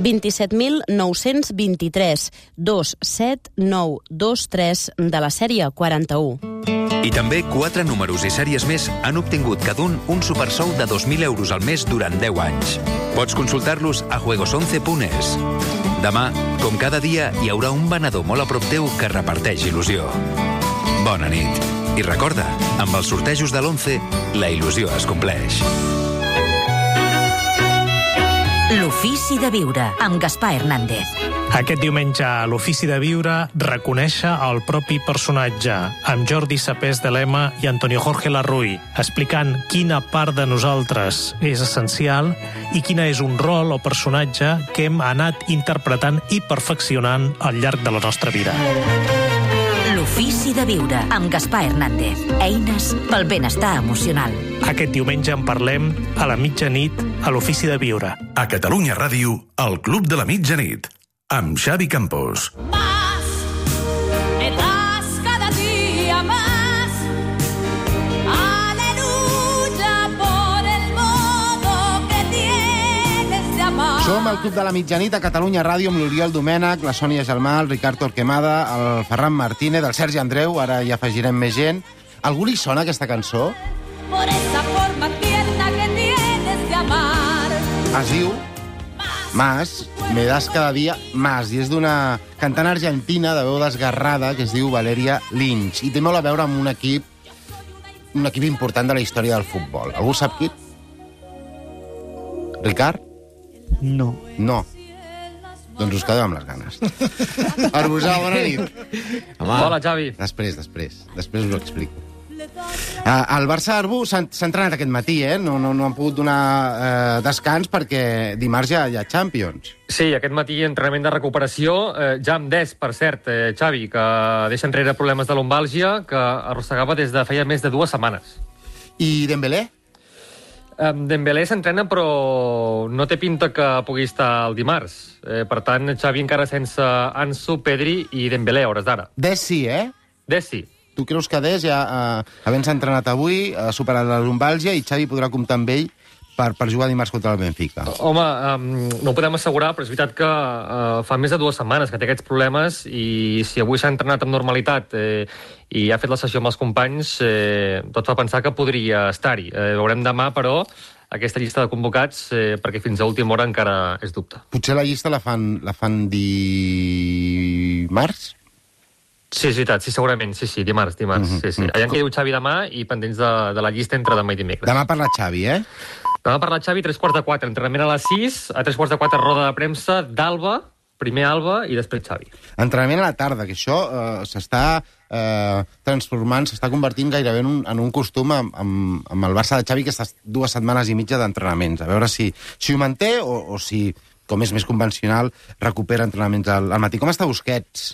vint-i-set mil nou-cents vint-i-tres, dos set nou dos tres de la sèrie quaranta-u. I també quatre números i sèries més han obtingut cada un un supersou de dos mil euros al mes durant deu anys. Pots consultar-los a juegos once punt es. Demà, com cada dia, hi haurà un venedor molt a prop teu que reparteix il·lusió. Bona nit. I recorda, amb els sortejos de l'once, la il·lusió es compleix. L'ofici de viure, amb Gaspar Hernández. Aquest diumenge a l'Ofici de Viure reconèixer el propi personatge, amb Jordi Sapés de Lema i Antonio Jorge Larruy, explicant quina part de nosaltres és essencial i quina és un rol o personatge que hem anat interpretant i perfeccionant al llarg de la nostra vida. L'Ofici de Viure, amb Gaspar Hernández. Eines pel benestar emocional. Aquest diumenge en parlem a la mitjanit a l'Ofici de Viure. A Catalunya Ràdio, el Club de la Mitjanit, amb Xavi Campos. Más, me das cada día más. Aleluya por el modo que tienes de amar. Som al Club de la Mitjanit a Catalunya Ràdio amb l'Oriol Domènech, la Sònia Gelmà, el Ricard Torquemada, el Ferran Martínez, el Sergi Andreu, ara hi afegirem més gent. Algú li sona aquesta cançó? Por esa forma tierna que tienes de amar. Es diu Más, me das cada dia más, i és d'una cantant argentina de veu desgarrada que es diu Valeria Lynch, i té molt a veure amb un equip un equip important de la història del futbol. Algú sap qui? Ricard? No. No. Doncs us quedeu amb les ganes. Arbusà, bona nit. Home. Hola, Xavi. Després, després. Després us ho explico. Uh, el Barça-Arbu s'ha entrenat aquest matí, eh? No, no, no han pogut donar uh, descans perquè dimarts ja hi ha Champions. Sí, aquest matí entrenament de recuperació, eh, ja amb Des, per cert, eh, Xavi, que deixa enrere problemes de lumbàlgia que arrossegava des de feia més de dues setmanes. I Dembélé? Um, Dembélé s'entrena, però no té pinta que pugui estar el dimarts. Eh, per tant, Xavi encara sense Ansu, Pedri i Dembélé, a hores d'ara. Des sí, eh? Des sí. Tu creus que Des, ja, eh, havent-se entrenat avui, ha superat la lumbàlgia i Xavi podrà comptar amb ell per, per jugar dimarts contra el Benfica? Home, um, no ho podem assegurar, però és veritat que uh, fa més de dues setmanes que té aquests problemes i si avui s'ha entrenat amb normalitat eh, i ha fet la sessió amb els companys, eh, tot fa pensar que podria estar-hi. Eh, veurem demà, però, aquesta llista de convocats, eh, perquè fins a última hora encara és dubte. Potser la llista la fan, la fan dimarts? Sí, és veritat, sí, segurament, sí, sí, dimarts, dimarts, Mm-hmm. sí, sí. Allà en què diu Xavi demà i pendents de, de la llista entre demà i dimecres. Demà parla Xavi, eh? Demà parla Xavi, tres quarts de quatre, entrenament a les sis, a tres quarts de quatre roda de premsa d'Alba, primer Alba i després Xavi. Entrenament a la tarda, que això eh, s'està eh, transformant, s'està convertint gairebé en un, en un costum amb, amb, amb el Barça de Xavi, aquestes dues setmanes i mitja d'entrenaments. A veure si, si ho manté o, o si, com és més convencional, recupera entrenaments al, al matí. Com està Busquets?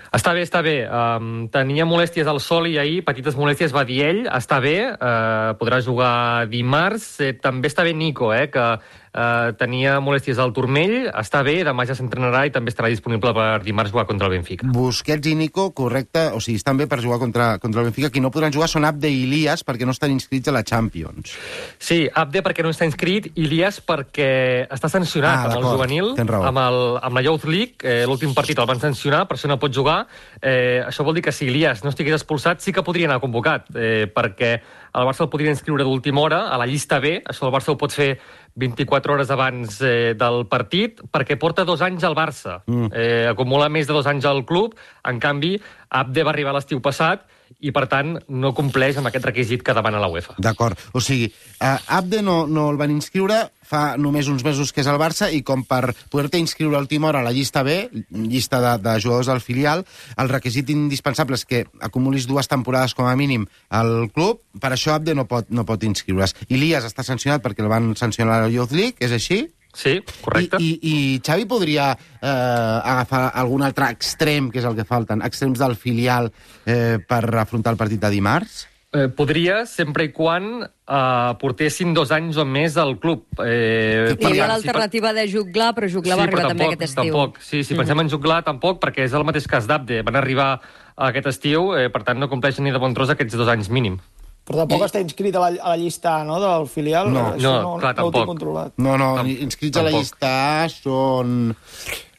Està bé, està bé. Um, tenia molèsties al sol i ahir, petites molèsties, va dir ell. Està bé, uh, podrà jugar dimarts. Eh, també està bé Nico, eh, que uh, tenia molèsties al turmell. Està bé, demà ja s'entrenarà i també estarà disponible per dimarts jugar contra el Benfica. Busquets i Nico, correcte, o sigui, estan bé per jugar contra, contra el Benfica. Qui no podran jugar són Abde i Ilias perquè no estan inscrits a la Champions. Sí, Abde perquè no està inscrit, Ilias perquè està sancionat Ah, amb el d'acord, juvenil, tens raó. amb, el, amb la Youth League. Eh, L'últim partit el van sancionar, per això no pot jugar. Eh, això vol dir que si Ilias no estigués expulsat sí que podria anar convocat, eh, perquè el Barça el podria inscriure d'última hora a la llista B. Això el Barça ho pot fer vint-i-quatre hores abans eh, del partit, perquè porta dos anys al Barça. Mm. Eh, acumula més de dos anys al club. En canvi, Abde va arribar l'estiu passat i, per tant, no compleix amb aquest requisit que demana la UEFA. D'acord. O sigui, uh, Abde no, no el van inscriure fa només uns mesos que és al Barça i com per poder-te inscriure a última hora a la llista B, llista de, de jugadors del filial, el requisit indispensable és que acumulis dues temporades com a mínim al club, per això Abde no pot, no pot inscriure's. Ilias està sancionat perquè el van sancionar a la Youth League, és així? Sí, correcte. I, i, i Xavi podria eh, agafar algun altre extrem, que és el que falten, extrems del filial eh, per afrontar el partit de dimarts? Eh, podria, sempre i quan eh, portessin dos anys o més al club. Eh, Hi havia l'alternativa de Juglar, però Juglar sí, va arribar tampoc, també aquest estiu. Tampoc. Sí, si pensem en Juglar, tampoc, perquè és el mateix cas d'Abde. Van arribar aquest estiu, eh, per tant no compleixen ni de bon tros aquests dos anys mínim. Però tampoc està inscrit a la, a la llista A, no?, del filial. No, Això no, no, clar, no ho tinc tampoc. controlat. No, no, Tam- inscrits a la tampoc. llista A són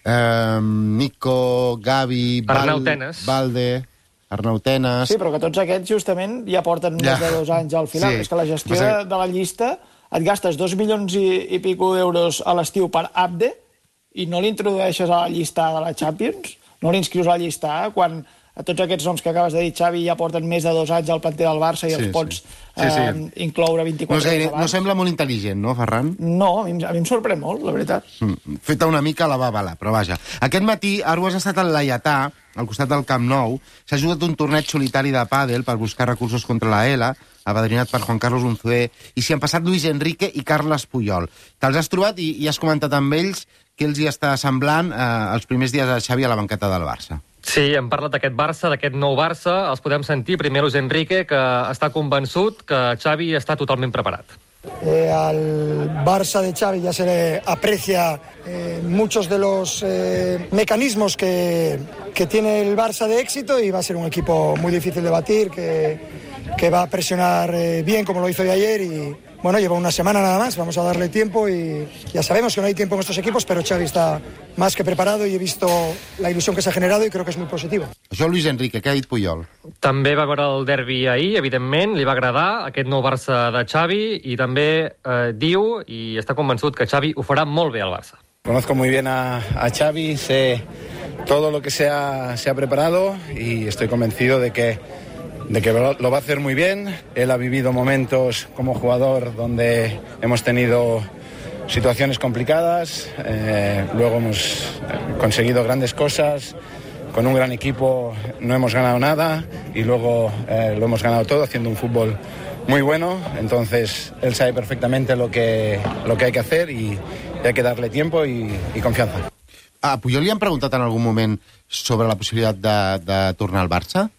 eh, Nico, Gavi, Arnau Tenas. Valde, Arnau Tenas... Sí, però que tots aquests justament ja porten Ja. més de dos anys al final. Sí. És que la gestió Passa de, que- de la llista et gastes dos milions i, i pico d'euros a l'estiu per Abde i no l'introdueixes a la llista de la Champions, no l'inscrius a la llista A, quan a tots aquests noms que acabes de dir, Xavi, ja porten més de dos anys al planter del Barça i Sí, els pots sí. Sí, sí. Eh, incloure No, vint-i-quatre és gaire, hores no abans. sembla molt intel·ligent, no, Ferran? No, a mi, em- a mi em sorprèn molt, la veritat. Mm, feta una mica a la babala, però vaja. Aquest matí Arbues ha estat al Laietà, al costat del Camp Nou. S'ha jugat un torneig solitari de pàdel per buscar recursos contra la ELA, apadrinat per Juan Carlos Unzué, i s'hi han passat Luis Enrique i Carles Puyol. Te'ls has trobat i, i has comentat amb ells què els hi està semblant eh, els primers dies a Xavi a la banqueta del Barça. Sí, hem parlat d'aquest Barça, d'aquest nou Barça. Els podem sentir. Primer Luis Enrique, que està convençut que Xavi està totalment preparat. Eh, al Barça de Xavi ya se le aprecia eh, muchos de los eh, mecanismos que, que tiene el Barça de éxito y va a ser un equipo muy difícil de batir, que, que va a presionar eh, bien como lo hizo de ayer y bueno, lleva una semana nada más, vamos a darle tiempo y ya sabemos que no hay tiempo en estos equipos, pero Xavi está más que preparado y he visto la ilusión que se ha generado y creo que es muy positivo. Això Luis Enrique, què ha dit Puyol? També va veure el derbi ahir, evidentment, li va agradar aquest nou Barça de Xavi i també eh, diu i està convençut que Xavi ho farà molt bé al Barça. Conozco muy bien a, a Xavi, sé todo lo que se ha, se ha preparado y estoy convencido de que de que lo va a hacer muy bien. Él ha vivido momentos como jugador donde hemos tenido situaciones complicadas, eh, luego hemos conseguido grandes cosas, con un gran equipo no hemos ganado nada y luego eh, lo hemos ganado todo haciendo un fútbol muy bueno, entonces él sabe perfectamente lo que, lo que hay que hacer y, y hay que darle tiempo y, y confianza. A Puyol li han preguntat en algun moment sobre la possibilitat de, de tornar al Barça?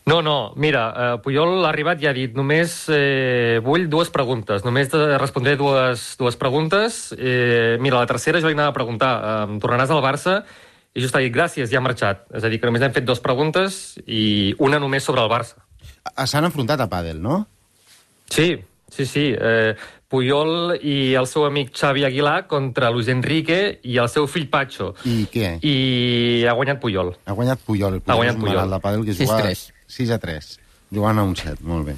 No, no, mira, eh, Puyol ha arribat i ha dit només eh, vull dues preguntes, només de respondré dues, dues preguntes. Eh, mira, la tercera jo li anava a preguntar, eh, tornaràs al Barça? I just ha dit gràcies, ja ha marxat. És a dir, que només hem fet dues preguntes i una només sobre el Barça. S'han enfrontat a pàdel, no? Sí, sí, sí. Eh, Puyol i el seu amic Xavi Aguilar contra Luis Enrique i el seu fill Pacho. I què? I ha guanyat Puyol. Ha guanyat Puyol. Ha guanyat Puyol. De pàdel que juga sis a tres. Jugant a un set, molt bé.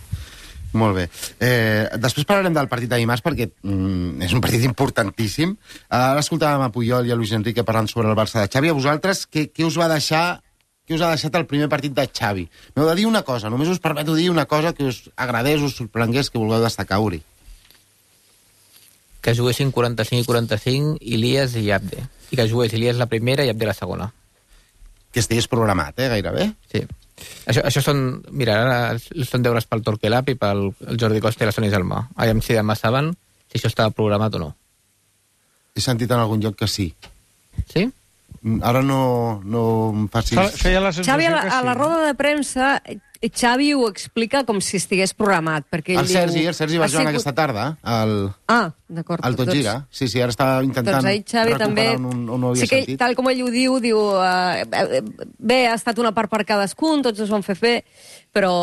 Molt bé. Eh, després parlarem del partit de dimarts perquè mm, és un partit importantíssim. Ara escoltàvem a Puyol i a Luis Enrique parlant sobre el Barça de Xavi. A vosaltres, què, què us va deixar què us ha deixat el primer partit de Xavi? M'heu de dir una cosa, només us permeto dir una cosa que us agradés, us sorprengués, que vulgueu destacar, Uri. Que juguessin quaranta-cinc i quaranta-cinc Ilias i Abde. I que jugués Ilias la primera i Abde la segona. Que estigués programat, eh, gairebé? Sí. Això, això són... Mira, ara són deures pel Torquelab i pel Jordi Costa i la Sònia Gelmà. Aviam si demà saben si això estava programat o no. He sentit en algun lloc que sí. Sí? Ara no, no em facis... Feia la sensació Xavi, a la, que sí. a la roda de premsa, Xavi ho explica com si estigués programat. Perquè ell El Sergi, diu, el Sergi va ha jugar sigut... aquesta tarda, al... Ah, d'acord. al Tot Gira. Sí, sí, ara està intentant doncs ahir Xavi recuperar també... on, on ho havia sí que, sentit. tal com ell ho diu, diu uh, bé, ha estat una part per cadascun, tots es van fer fer, però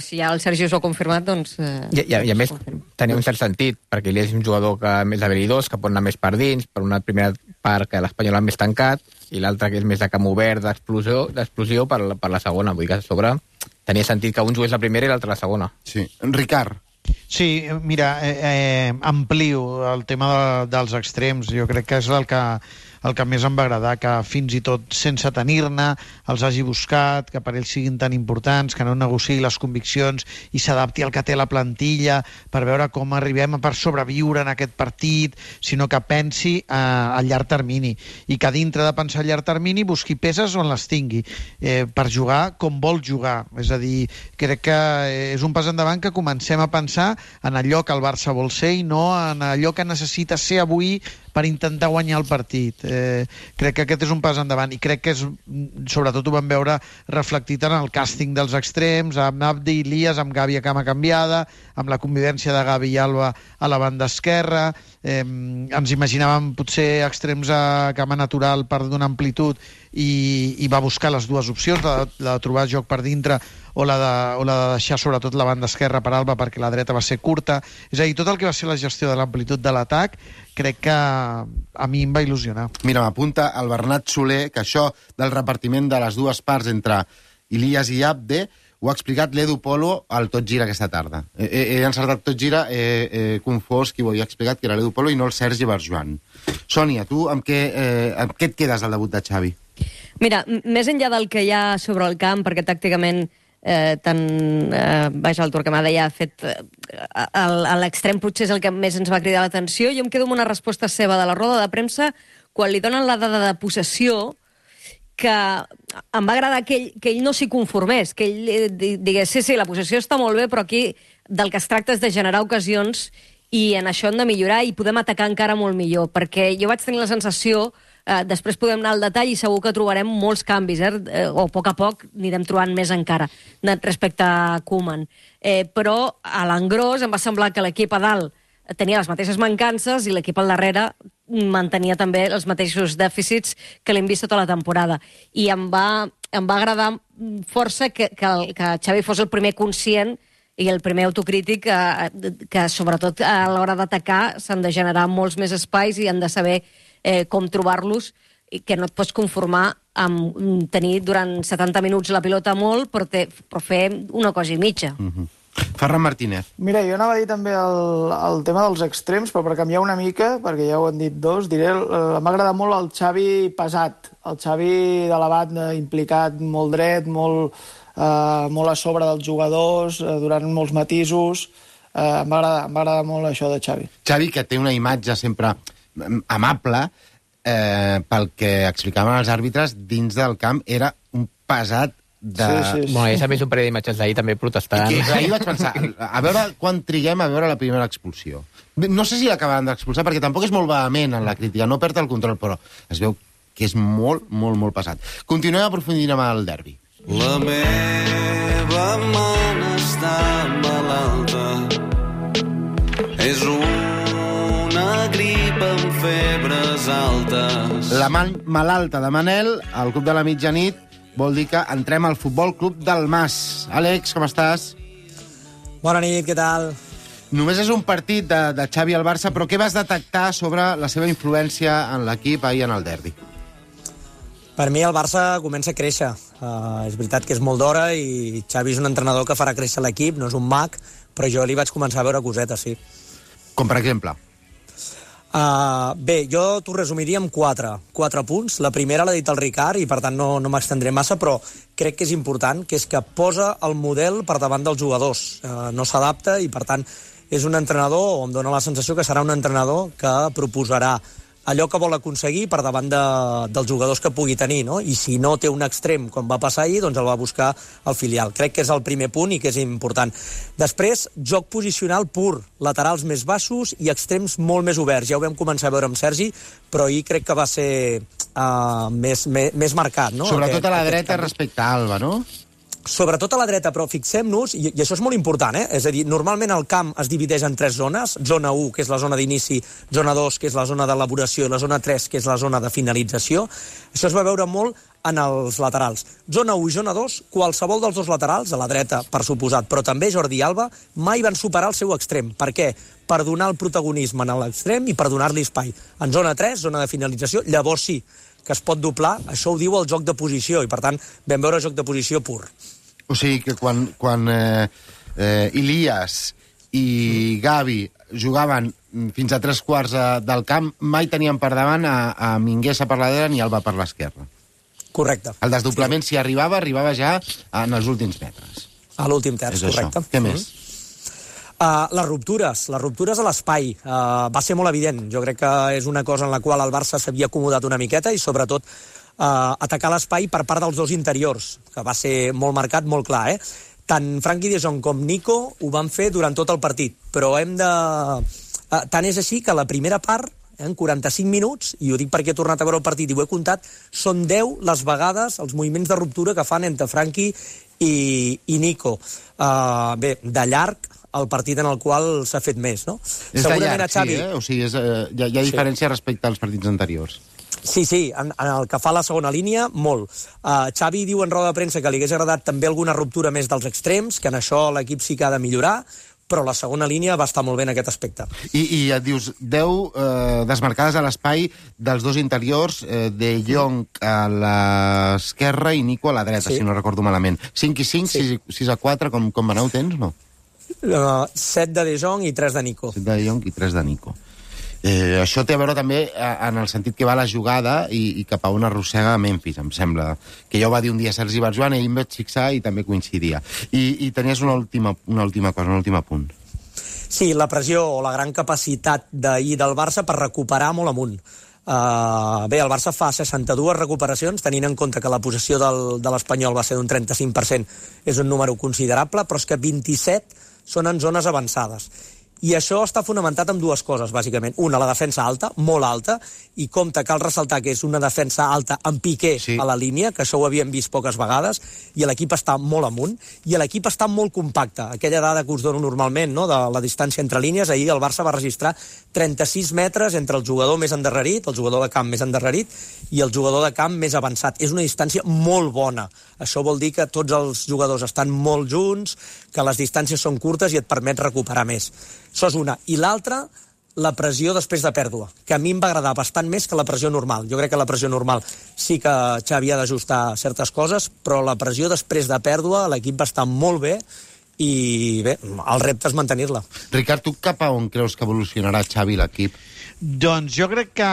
si ja el Sergi us ho ha confirmat, doncs... Uh, I, i, I a més, tenia un cert sentit, perquè ell és un jugador que més habilidós, que pot anar més per dins, per una primera part que l'Espanyol ha més tancat, i l'altra que és més de camp obert, d'explosió, d'explosió per, la, per la segona. Vull dir que a sobre tenia sentit que un jugués la primera i l'altre la segona. Sí. Ricard. Sí, mira, eh, eh, amplio el tema de, dels extrems. Jo crec que és el que, el que més em va agradar, que fins i tot sense tenir-ne els hagi buscat, que per ells siguin tan importants, que no negociï les conviccions i s'adapti al que té la plantilla per veure com arribem per sobreviure en aquest partit, sinó que pensi eh, a llarg termini i que dintre de pensar a llarg termini busqui peces on les tingui eh, per jugar com vol jugar. És a dir, crec que és un pas endavant que comencem a pensar en allò que el Barça vol ser i no en allò que necessita ser avui per intentar guanyar el partit. Eh, crec que aquest és un pas endavant i crec que és, sobretot ho vam veure reflectit en el càsting dels extrems, amb Abdi i Ilias, amb Gavi a cama canviada, amb la convivència de Gavi i Alba a la banda esquerra. Eh, ens imaginàvem potser extrems a cama natural per donar amplitud i, i va buscar les dues opcions, la, la de trobar joc per dintre o la, de, o la de deixar sobretot la banda esquerra per Alba perquè la dreta va ser curta. És a dir, tot el que va ser la gestió de l'amplitud de l'atac crec que a mi em va il·lusionar. Mira, m'apunta el Bernat Soler que això del repartiment de les dues parts entre Ilias i Abde ho ha explicat l'Edu Polo al Tot Gira aquesta tarda. He, he, he encertat Tot Gira, he, he confós qui ho havia explicat, que era l'Edu Polo i no el Sergi Barjuan. Sònia, tu amb què, eh, amb què et quedes del debut de Xavi? Mira, més enllà del que hi ha sobre el camp, perquè tàcticament eh, tant eh, vaja, el Torquemada ja ha fet eh, a l'extrem potser és el que més ens va cridar l'atenció. Jo em quedo amb una resposta seva de la roda de premsa quan li donen la dada de possessió, que em va agradar que ell, que ell no s'hi conformés, que ell digués, sí, sí, la possessió està molt bé, però aquí del que es tracta és de generar ocasions i en això hem de millorar i podem atacar encara molt millor, perquè jo vaig tenir la sensació, eh, després podem anar al detall i segur que trobarem molts canvis, eh, o a poc a poc anirem trobant més encara respecte a Koeman. Eh, però a l'engròs em va semblar que l'equip a dalt tenia les mateixes mancances i l'equip al darrere mantenia també els mateixos dèficits que l'hem vist tota la temporada. I em va, em va agradar força que, que, el, que Xavi fos el primer conscient i el primer autocrític que, que sobretot a l'hora d'atacar s'han de generar molts més espais i han de saber eh, com trobar-los i que no et pots conformar amb tenir durant setanta minuts la pilota molt però, te, però fer una cosa i mitja. Mm-hmm. Ferran Martínez. Mira, jo anava a dir també el, el tema dels extrems, però per canviar una mica, perquè ja ho han dit dos, diré, m'ha agradat molt el Xavi pesat, el Xavi de la banda implicat molt dret, molt, eh, molt a sobre dels jugadors, eh, durant molts matisos. Eh, m'ha agradat, m'ha agradat molt això de Xavi. Xavi, que té una imatge sempre amable, eh, pel que explicaven els àrbitres, dins del camp era un pesat de... Sí, sí, sí. Bueno, ja s'ha vist un parell d'imatges d'ahir també protestant. I que, ahir vaig pensar, a veure quan triguem a veure la primera expulsió. No sé si l'acabaran d'expulsar, perquè tampoc és molt vehement en la crítica, no perd el control, però es veu que és molt, molt, molt pesat. Continuem aprofundint amb el derbi. La meva man està malalta, és una grip amb febres altes. La man malalta de Manel, al Club de la Mitjanit, vol dir que entrem al Futbol Club del Mas. Àlex, com estàs? Bona nit, què tal? Només és un partit de, de Xavi al Barça, però què vas detectar sobre la seva influència en l'equip ahir en el derbi? Per mi el Barça comença a créixer. Uh, és veritat que és molt d'hora i Xavi és un entrenador que farà créixer l'equip, no és un mag, però jo li vaig començar a veure cosetes, sí. Com per exemple? Uh, bé, jo t'ho resumiria amb quatre, quatre punts. La primera l'ha dit el Ricard i per tant no, no m'extendré massa, però crec que és important, que és que posa el model per davant dels jugadors. Uh, no s'adapta i per tant és un entrenador, o em dóna la sensació que serà un entrenador que proposarà allò que vol aconseguir per davant de, dels jugadors que pugui tenir, no? I si no té un extrem, com va passar ahir, doncs el va buscar al filial. Crec que és el primer punt i que és important. Després, joc posicional pur, laterals més baixos i extrems molt més oberts. Ja ho vam començar a veure amb Sergi, però ahir crec que va ser uh, més, més, més marcat, no? Sobretot aquest, a la dreta respecte a Alba, no? Sobretot a la dreta, però fixem-nos, i, i això és molt important, eh? És a dir, normalment el camp es divideix en tres zones, zona u, que és la zona d'inici, zona dos, que és la zona d'elaboració, i la zona tres, que és la zona de finalització. Això es va veure molt en els laterals. Zona u i zona dos, qualsevol dels dos laterals, a la dreta, per suposat, però també Jordi Alba, mai van superar el seu extrem. Per què? Per donar el protagonisme en l'extrem i per donar-li espai. En zona tres, zona de finalització, llavors sí, que es pot doblar, això ho diu el joc de posició, i per tant vam veure joc de posició pur. O sigui que quan, quan eh, eh, Ilias i Gavi jugaven fins a tres quarts eh, del camp, mai tenien per davant a, a Minguesa per la dreta ni Alba per l'esquerra. Correcte. El desdoblament, si arribava, arribava ja en els últims metres. A l'últim terç, correcte. Què més? Mm-hmm. Uh, les ruptures, les ruptures a l'espai. Uh, va ser molt evident. Jo crec que és una cosa en la qual el Barça s'havia acomodat una miqueta i, sobretot, uh, atacar l'espai per part dels dos interiors, que va ser molt marcat, molt clar, eh? Tant Frenkie de Jong com Nico ho van fer durant tot el partit, però hem de... Uh, tant és així que la primera part, en quaranta-cinc minuts, i ho dic perquè he tornat a veure el partit i ho he comptat, són deu les vegades, els moviments de ruptura que fan entre Frenkie i, i Nico. Uh, bé, de llarg, el partit en el qual s'ha fet més, no? És de llarg, Xavi... sí, eh? O sigui, és, eh, hi ha, hi ha diferència sí. respecte als partits anteriors. Sí, sí, en, en el que fa la segona línia, molt. Uh, Xavi diu en roda de premsa que li hagués agradat també alguna ruptura més dels extrems, que en això l'equip sí que ha de millorar, però la segona línia va estar molt bé en aquest aspecte. I, i et dius, deu eh, desmarcades a l'espai dels dos interiors, eh, de Jong a l'esquerra i Nico a la dreta, sí. si no recordo malament. cinc i cinc, sí. sis a quatre, com, com aneu, tens, no? Uh, set de De Jong i tres de Nico. set de De Jong i tres de Nico. Eh, això té a veure també en el sentit que va la jugada i, i cap a on arrossega Memphis, em sembla. Que ja ho va dir un dia Sergi Barjuan i em vaig fixar i també coincidia. I, i tenies una última, una última cosa, un últim apunt. Sí, la pressió o la gran capacitat d'ahir del Barça per recuperar molt amunt. Uh, bé, el Barça fa seixanta-dues recuperacions, tenint en compte que la possessió del, de l'Espanyol va ser d'un trenta-cinc per cent. És un número considerable, però és que vint-i-set són en zones avançades. I això està fonamentat en dues coses, bàsicament. Una, la defensa alta, molt alta, i compte, cal ressaltar que és una defensa alta amb Piqué sí. a la línia, que això ho havíem vist poques vegades, i l'equip està molt amunt, i l'equip està molt compacte. Aquella dada que us dono normalment, no?, de la distància entre línies, ahir el Barça va registrar trenta-sis metres entre el jugador més endarrerit, el jugador de camp més endarrerit, i el jugador de camp més avançat. És una distància molt bona. Això vol dir que tots els jugadors estan molt junts, que les distàncies són curtes i et permet recuperar més. Això és una. I l'altra, la pressió després de pèrdua, que a mi em va agradar bastant més que la pressió normal. Jo crec que la pressió normal sí que Xavi ha d'ajustar certes coses, però la pressió després de pèrdua, l'equip va estar molt bé i bé, el repte és mantenir-la. Ricard, tu cap a on creus que evolucionarà Xavi l'equip? Doncs jo crec que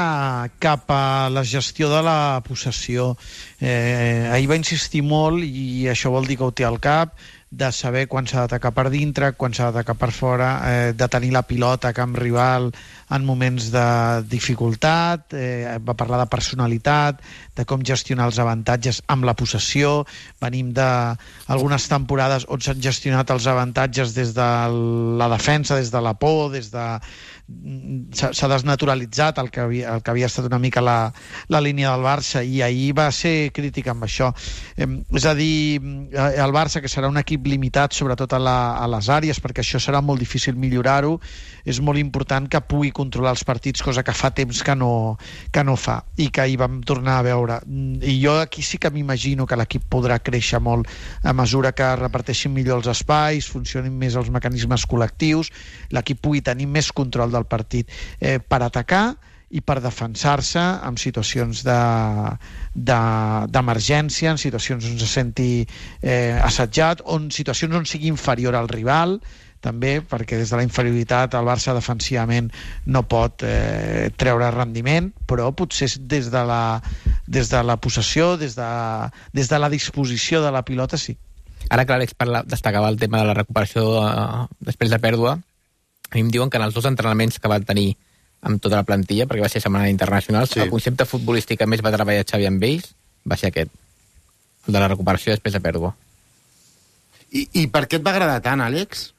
cap a la gestió de la possessió. Eh, ahir va insistir molt, i això vol dir que ho té al cap, de saber quan s'ha d'atacar per dintre, quan s'ha d'atacar per fora, eh, de tenir la pilota a camp rival en moments de dificultat, eh, va parlar de personalitat, de com gestionar els avantatges amb la possessió. Venim d'algunes temporades on s'han gestionat els avantatges des de la defensa, des de la por, des de, s'ha desnaturalitzat el que, havia, el que havia estat una mica la, la línia del Barça, i ahir va ser crític amb això. Eh, és a dir, el Barça, que serà un equip limitat sobretot a, la, a les àrees, perquè això serà molt difícil millorar-ho, és molt important que pugui controlar els partits, cosa que fa temps que no, que no fa, i que ahir vam tornar a veure. I jo aquí sí que m'imagino que l'equip podrà créixer molt a mesura que reparteixin millor els espais, funcionin més els mecanismes col·lectius, l'equip pugui tenir més control del partit, eh, per atacar i per defensar-se en situacions d'emergència, de, de, en situacions on se senti eh, assetjat, o en situacions on sigui inferior al rival, també, perquè des de la inferioritat el Barça defensivament no pot eh, treure rendiment, però potser des de la, des de la possessió, des de, des de la disposició de la pilota, sí. Ara que l'Àlex destacava el tema de la recuperació eh, després de pèrdua, a mi em diuen que en els dos entrenaments que van tenir amb tota la plantilla, perquè va ser setmana internacional, sí. El concepte futbolístic que més va treballar Xavi amb ells va ser aquest, el de la recuperació després de pèrdua. I, i per què et va agradar tant, Àlex?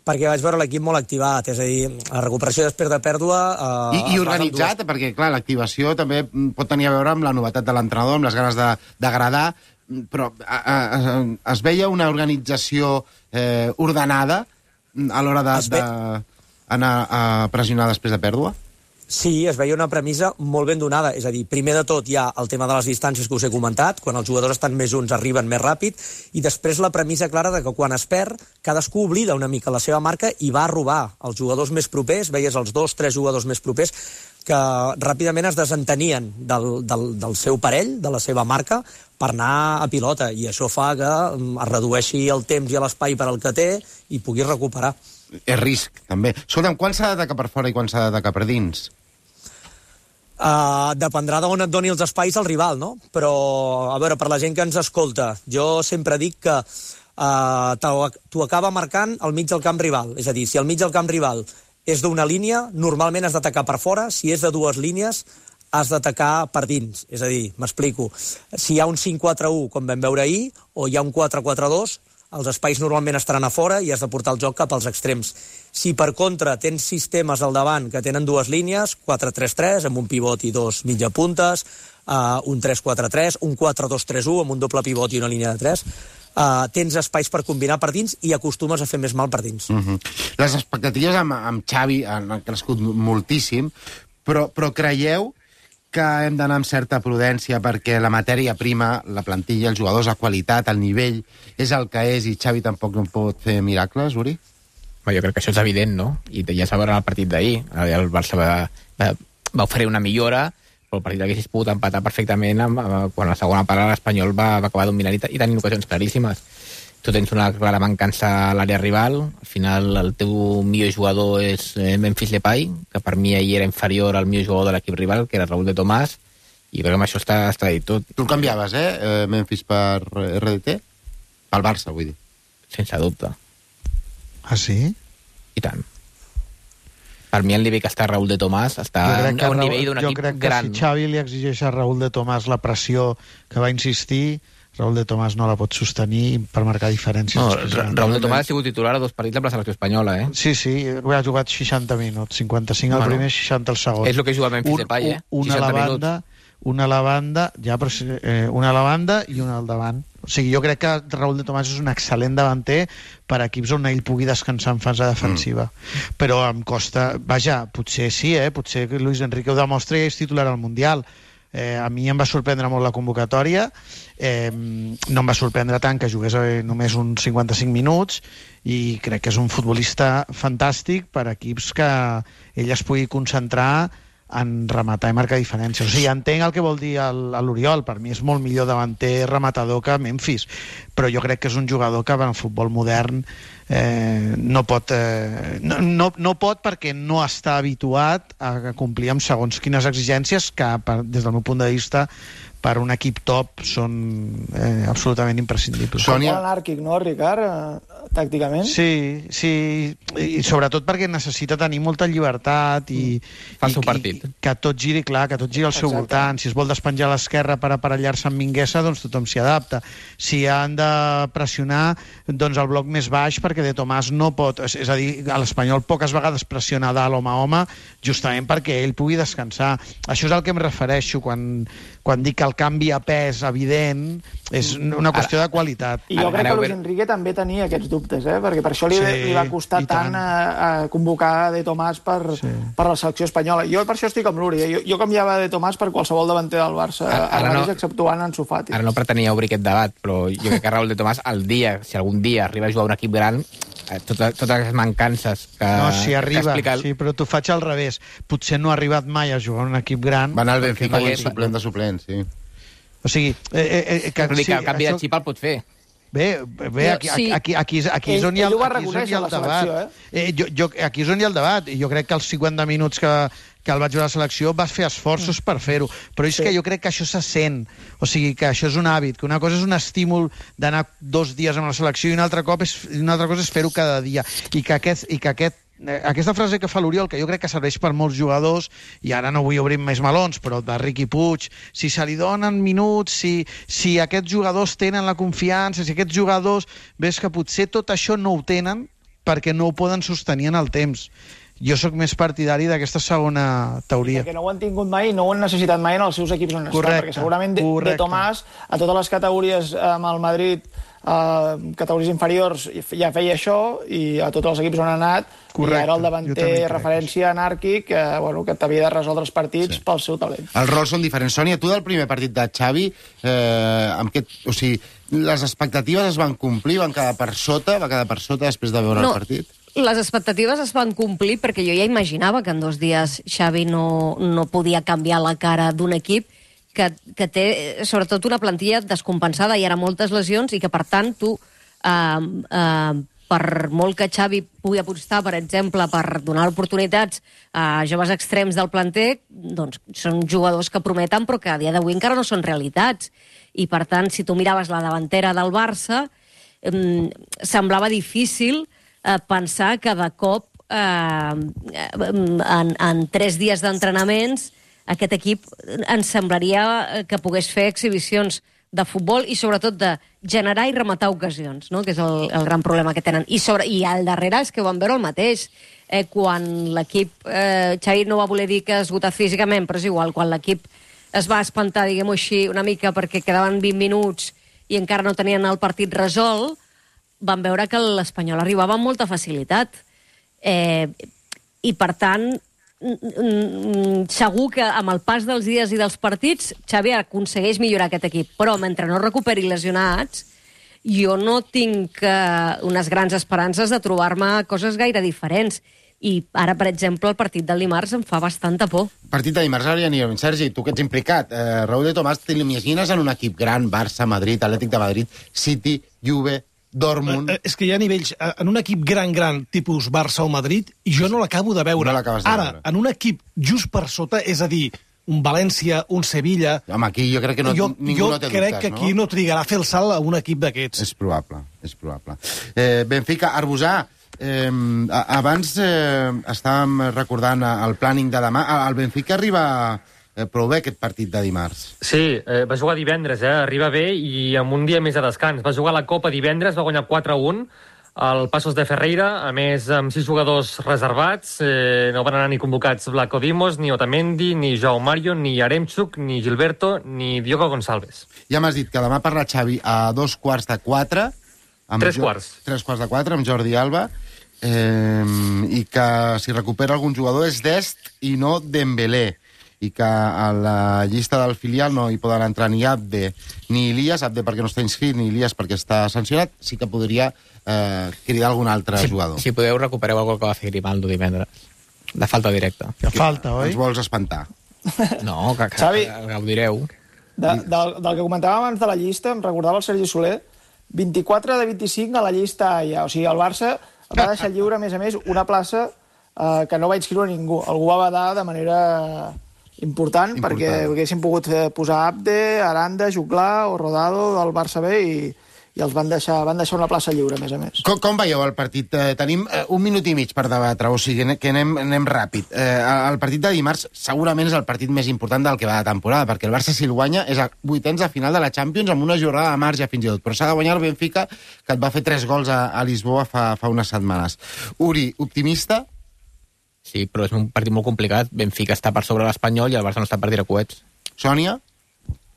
Perquè vaig veure l'equip molt activat, és a dir, la recuperació després de pèrdua... Eh, I, i organitzat, dues... perquè, clar, l'activació també pot tenir a veure amb la novetat de l'entrenador, amb les ganes d'agradar, però a, a, a, es veia una organització eh, ordenada a l'hora d'anar a pressionar després de pèrdua? Sí, es veia una premissa molt ben donada. És a dir, primer de tot hi ha el tema de les distàncies que us he comentat, quan els jugadors estan més junts arriben més ràpid, i després la premissa clara de que quan es perd, cadascú oblida una mica la seva marca i va a robar els jugadors més propers, veies els dos, tres jugadors més propers, que ràpidament es desentenien del, del, del seu parell, de la seva marca, per anar a pilota, i això fa que es redueixi el temps i l'espai per al que té i pugui recuperar. És risc, també. Escolta'm, quan s'ha d'atacar per fora i quan s'ha d'atacar per dins? Uh, dependrà d'on et doni els espais el rival, no? Però, a veure, per la gent que ens escolta, jo sempre dic que uh, t'ho acaba marcant al mig del camp rival. És a dir, si al mig del camp rival és d'una línia, normalment has d'atacar per fora. Si és de dues línies, has d'atacar per dins. És a dir, m'explico, si hi ha un cinc quatre u, com vam veure ahir, o hi ha un quatre quatre dos, els espais normalment estaran a fora i has de portar el joc cap als extrems. Si, per contra, tens sistemes al davant que tenen dues línies, quatre tres tres, amb un pivot i dos mitja puntes, uh, un tres quatre tres, un quatre dos tres u, amb un doble pivot i una línia de tres, uh, tens espais per combinar per dins i acostumes a fer més mal per dins. Uh-huh. Les expectatives amb, amb Xavi han crescut moltíssim, però, però creieu que hem d'anar amb certa prudència perquè la matèria prima, la plantilla, els jugadors, la qualitat, el nivell, és el que és i Xavi tampoc no pot fer miracles, Uri? Jo crec que això és evident, no? I ja s'ha veure el partit d'ahir. El Barça va, va, va oferir una millora, però el partit haguessis pogut empatar perfectament amb, amb, quan a la segona part l'Espanyol va, va acabar dominant i, i tenint ocasions claríssimes. Tu tens una clara mancança a l'àrea rival, al final el teu millor jugador és Memphis Depay, que per mi ahir era inferior al millor jugador de l'equip rival, que era Raúl de Tomàs, i crec que amb això està, està dit tot. Tu el canviaves, eh, Memphis per R D T? Pel Barça, vull dir. Sense dubte. Ah, sí? I tant. Per mi el nivell que està Raúl de Tomàs està a un Raúl, nivell d'un equip gran. Jo crec que gran. Si Xavi li exigeix a Raúl de Tomàs la pressió que va insistir, Raúl de Tomàs no la pot sostenir per marcar diferències. No, Ra Raúl de Tomàs ha sigut titular a dos partits amb la selecció espanyola, eh? Sí, sí, ha jugat seixanta minuts, cinquanta-cinc al bueno, primer, seixanta al segon. És el que juga Memphis Depay, eh? Una a la banda, una a la banda, ja, però, eh, una a la banda i una al davant. O sigui, jo crec que Raúl de Tomàs és un excel·lent davanter per a equips on ell pugui descansar en fase defensiva. Mm. Però em costa... Vaja, potser sí, eh? Potser que Luis Enrique ho demostra i és titular al Mundial. Eh, a mi em va sorprendre molt la convocatòria, eh, no em va sorprendre tant que jugués eh, només uns cinquanta-cinc minuts, i crec que és un futbolista fantàstic per a equips que ell es pugui concentrar en rematar i marcar diferències. O sigui, entenc el que vol dir l'Oriol, per mi és molt millor davanter rematador que Memphis, però jo crec que és un jugador que en el futbol modern eh, no pot eh, no, no, no pot perquè no està habituat a complir amb segons quines exigències que, per, des del meu punt de vista, per un equip top són eh, absolutament imprescindibles. Sònia... Molt anàrquic, no, Ricard, eh, tàcticament? Sí, sí, i sobretot perquè necessita tenir molta llibertat i, Fa el i, seu partit. i que tot giri, clar, que tot giri al seu Exacte. voltant. Si es vol despenjar a l'esquerra per aparellar-se amb Minguesa, doncs tothom s'hi adapta. Si han de pressionar, doncs el bloc més baix, perquè De Tomàs no pot... És, és a dir, a l'Espanyol poques vegades pressiona dalt home a home, justament perquè ell pugui descansar. Això és al que em refereixo quan, quan dic que el canvi a pes evident és una qüestió de qualitat. I jo crec que Luis Enrique també tenia aquests dubtes, eh? Perquè per això li, Sí, li va costar i tant tant. a, a convocar De Tomàs per, Sí. per la selecció espanyola. Jo per això estic amb l'Uri. Eh? Jo, jo canviava De Tomàs per qualsevol davanter del Barça, Ara- ara ara no- mateix exceptuant Ansu Fati. Ara no pretenia obrir aquest debat, però jo crec que Raúl de Tomàs, el dia, si algun dia arriba a jugar a un equip gran, eh, totes, totes les mancances que, No, si que arriba, explica... sí, però t'ho faig al revés. Potser no ha arribat mai a jugar en un equip gran. Va anar al perquè Benfica no i és- suplent de suplent, sí. O sigui... Eh, eh, eh, que, Vull dir que el canvi això- de xip el pot fer. Bé, bé aquí, Sí. aquí, aquí, aquí, aquí és Ell- on hi ha, ell ho va aquí és on hi reconèixer ha a el la debat. selecció, Eh, jo, jo, aquí és on hi ha el debat. I jo crec que els cinquanta minuts que, que el vaig jugar a la selecció vas fer esforços per fer-ho. Però és Sí. que jo crec que això se sent. O sigui, que això és un hàbit, que una cosa és un estímul d'anar dos dies amb la selecció i una altra, cop és, una altra cosa és fer-ho cada dia. I que aquest, i que aquest eh, aquesta frase que fa l'Oriol, que jo crec que serveix per molts jugadors, i ara no vull obrir més melons, però de Riqui Puig, si se li donen minuts, si, si aquests jugadors tenen la confiança, si aquests jugadors... Ves que potser tot això no ho tenen perquè no ho poden sostenir en el temps. Jo sóc més partidari d'aquesta segona teoria. Perquè no ho han tingut mai i no ho han necessitat mai en els seus equips on estan, Correcte, perquè segurament de, de correcte. Tomàs a totes les categories amb el Madrid, eh, categories inferiors, ja feia això, i a tots els equips on ha anat, Correcte, i era el jo davanter també crec referència anàrquic, eh, bueno, que t'havia de resoldre els partits sí. pel seu talent. Els rols són diferents. Sònia, tu del primer partit de Xavi, eh, amb què, o sigui, les expectatives es van complir, van quedar per sota, va quedar per sota després de veure No. el partit? Les expectatives es van complir perquè jo ja imaginava que en dos dies Xavi no, no podia canviar la cara d'un equip que, que té, sobretot, una plantilla descompensada, hi ha moltes lesions i que, per tant, tu, eh, eh, per molt que Xavi pugui apostar, per exemple, per donar oportunitats a joves extrems del planter, doncs són jugadors que prometen però que a dia d'avui encara no són realitats. I, per tant, si tu miraves la davantera del Barça, eh, semblava difícil eh, pensar que de cop, eh, en, en tres dies d'entrenaments, aquest equip ens semblaria que pogués fer exhibicions de futbol i sobretot de generar i rematar ocasions, no? Que és el, el gran problema que tenen. I, sobre, i al darrere és que ho vam veure el mateix. Eh, quan l'equip... Eh, Xavi no va voler dir que esgotat físicament, però és igual, quan l'equip es va espantar, diguem-ho així, una mica perquè quedaven vint minuts i encara no tenien el partit resolt, van veure que l'Espanyol arribava amb molta facilitat. Eh, I, per tant, segur que amb el pas dels dies i dels partits Xavi aconsegueix millorar aquest equip, però mentre no recuperi lesionats jo no tinc uh, unes grans esperances de trobar-me coses gaire diferents. I ara, per exemple, el partit del dimarts em fa bastanta por. Partit de dimarts, ara ja anirem. Sergi, tu que ets implicat, eh, Raúl de Tomàs, te l'imagines en un equip gran, Barça, Madrid, Atlètic de Madrid, City, Juve, Dortmund... Eh, és que hi ha nivells... eh, En un equip gran, gran, tipus Barça o Madrid, i jo no l'acabo de veure. No l'acabes de Ara, veure. en un equip just per sota, és a dir, un València, un Sevilla... Home, aquí jo crec que no, jo, ningú jo no té crec dubtes, que aquí no? no trigarà a fer el salt a un equip d'aquests. És probable, és probable. Eh, Benfica, Arbusà, eh, abans eh, estàvem recordant el planning de demà. El Benfica arriba eh, prou bé aquest partit de dimarts. Sí, eh, va jugar divendres, eh? Arriba bé i amb un dia més de descans. Va jugar la Copa divendres, va guanyar quatre a un al Passos de Ferreira, a més amb sis jugadors reservats, eh, no van anar ni convocats Vlaco Dimos, ni Otamendi, ni Joao Mario, ni Yaremchuk, ni Gilberto, ni Diogo Gonçalves. Ja m'has dit que demà parla Xavi a dos quarts de quatre... Amb Tres jo... quarts. Tres quarts de quatre, amb Jordi Alba, eh, i que si recupera algun jugador és Dest i no Dembélé, i que a la llista del filial no hi poden entrar ni Abde ni Ilias, Abde perquè no està inscrit, ni Ilias perquè està sancionat, sí que podria eh, cridar algun altre si, jugador. Si podeu, recupereu el gol que va fer Grimaldo divendres. De falta directa. Que falta, oi? Ens vols espantar. No, que, que, Xavi, que gaudireu. De, del, del que comentàvem abans de la llista, em recordava el Sergi Soler, vint-i-quatre de vint-i-cinc a la llista A ja. O sigui, el Barça va deixar lliure, a més a més, una plaça eh, que no va inscriure ningú. Algú va badar de manera important, important. perquè haguessin pogut posar Abde, Aranda, Juclà o Rodado del Barça B i, i els van deixar, van deixar una plaça lliure, a més a més. Com, com veieu el partit? Eh, tenim eh, un minut i mig per debatre, o sigui que anem, anem ràpid. Eh, el partit de dimarts segurament és el partit més important del que va de temporada, perquè el Barça, si el guanya, és a vuitens de final de la Champions amb una jornada de marge fins i tot, però s'ha de guanyar el Benfica, que et va fer tres gols a, a Lisboa fa, fa unes setmanes. Uri, optimista? Sí, però és un partit molt complicat. Benfica està per sobre l'Espanyol i el Barça no està per tirar coets. Sònia?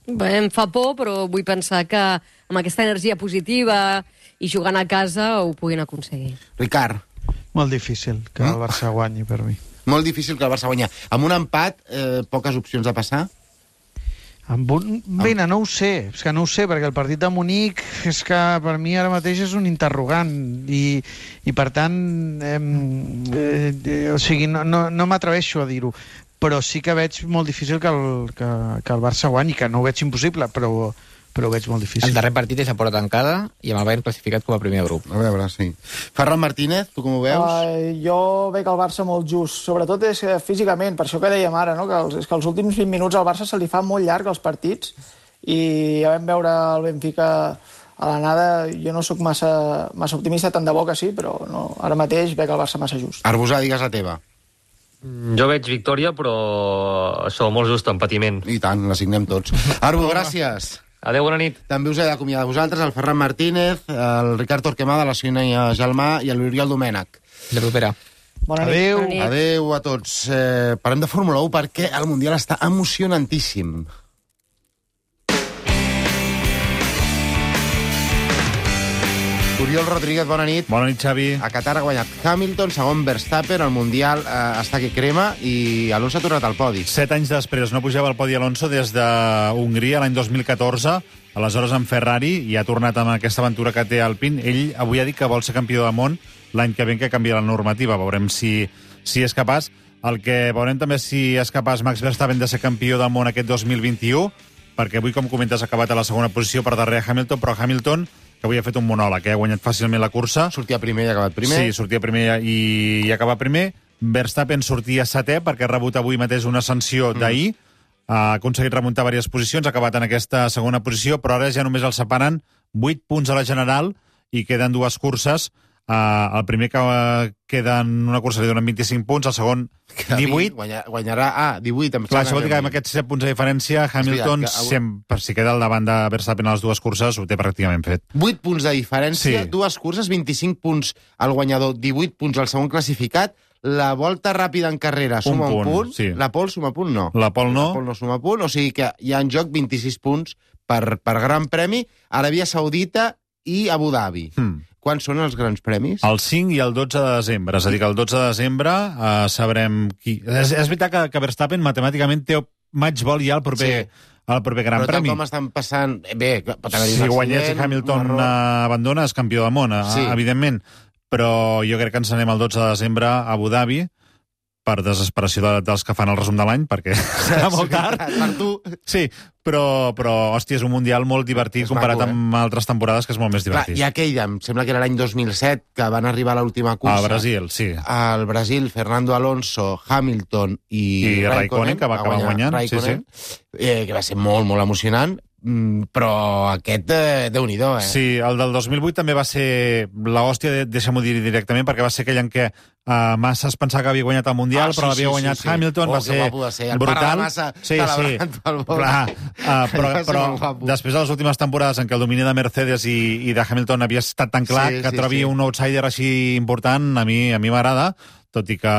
Bé, em fa por, però vull pensar que amb aquesta energia positiva i jugant a casa ho puguin aconseguir. Ricard? Molt difícil que el Barça guanyi, per mi. Molt difícil que el Barça guanyi. Amb un empat, eh, poques opcions de passar? Amb un... Vine, no ho sé, és que no ho sé, perquè el partit de Munic és que per mi ara mateix és un interrogant i, i per tant, eh, eh, o sigui, no, no, no m'atreveixo a dir-ho, però sí que veig molt difícil que el, que, que el Barça guanyi, que no ho veig impossible, però, però ho veig molt difícil. El darrer partit és a porta tancada i amb el Bayern classificat com a primer grup. A veure, sí. Ferran Martínez, tu com ho veus? Uh, jo veig el Barça molt just, sobretot és uh, físicament, per això que dèiem ara, no? que, els, és que els últims vint minuts al Barça se li fa molt llarg els partits i ja vam veure el Benfica a l'anada. Jo no sóc massa, massa optimista, tant de bo que sí, però no, ara mateix veig el Barça massa just. Arbusà, digues la teva. Jo veig victòria, però això, molt just, en patiment. I tant, la signem tots. Arbu, gràcies. Adéu, bona nit. També us he d'acomiadar a vosaltres, el Ferran Martínez, el Ricard Torquemada, la Sònia Gelmà i l'Oriol Domènech. De propera. Bona nit. Adéu. Bona nit. Adéu a tots. Eh, parlem de Fórmula u perquè el Mundial està emocionantíssim. Oriol Rodríguez, bona nit. Bona nit, Xavi. A Qatar ha guanyat Hamilton, segon Verstappen, el Mundial eh, està que crema i Alonso ha tornat al podi. Set anys després no pujava al podi Alonso des de Hongria l'any dos mil catorze, aleshores amb Ferrari, i ha tornat amb aquesta aventura que té Alpine. Ell avui ha dit que vol ser campió del món l'any que ve, que canvia la normativa. Veurem si, si és capaç. El que veurem també si és capaç Max Verstappen de ser campió del món aquest dos mil vint-i-u, perquè avui, com comentes, ha acabat a la segona posició per darrere Hamilton, però Hamilton, que avui ha fet un monòleg, eh? Ha guanyat fàcilment la cursa. Sortia primer i ha acabat primer. Sí, sortia primer i, i ha acabat primer. Verstappen sortia setè perquè ha rebut avui mateix una sanció mm. d'ahir. Ha aconseguit remuntar diverses posicions, ha acabat en aquesta segona posició, però ara ja només el separen vuit punts a la general i queden dues curses. Uh, el primer que uh, queda en una cursa li donen vint-i-cinc punts, el segon divuit. Guanyarà, guanyarà ah, divuit. Clar, això vol dir que amb aquests set punts de diferència Hamilton, veritat, que... sempre, per si queda al davant de Verstappen a les dues curses, ho té pràcticament fet. vuit punts de diferència, sí. Dues curses, vint-i-cinc punts al guanyador, divuit punts al segon classificat. La volta ràpida en carrera suma un punt, un punt. Sí. La pole suma punt, no. La pole no. La pole no suma punt, o sigui que hi ha en joc vint-i-sis punts per, per Gran Premi, Aràbia Saudita i Abu Dhabi. Hmm. Quan són els grans premis? El cinc i el dotze de desembre. És a dir, que el dotze de desembre uh, sabrem qui... És, és veritat que, que Verstappen matemàticament té match ball ja el proper, sí. el proper Gran Però Premi. Però com estan passant... Bé, pot haver-hi si guanyés i Hamilton uh, abandona, és campió del món, sí. evidentment. Però jo crec que ens anem el dotze de desembre a Abu Dhabi, per desesperació de, dels que fan el resum de l'any, perquè serà molt tard. Per tu. Sí, però, però, hòstia, és un mundial molt divertit és comparat maco, eh? amb altres temporades, que és molt més divertit. Clar, i aquell, em sembla que era l'any dos mil set, que van arribar a l'última cursa. A Brasil, sí. Al Brasil, Fernando Alonso, Hamilton i, I Raikkonen, Raikkonen, que va acabar guanyant. Raikkonen, sí, sí. Eh, que va ser molt, molt emocionant. Però aquest, eh, Déu-n'hi-do, eh? Sí, el del dos mil vuit també va ser l'hòstia, deixa'm-ho dir directament, perquè va ser aquell en què uh, Massa es pensava que havia guanyat el Mundial, ah, sí, però l'havia sí, guanyat sí, sí. Hamilton, oh, va ser, ser el brutal. El Massa sí, sí. Clar, uh, però, però després de les últimes temporades en què el domini de Mercedes i, i de Hamilton havia estat tan clar, sí, que sí, trobi sí. un outsider així important, a mi a mi m'agrada, tot i que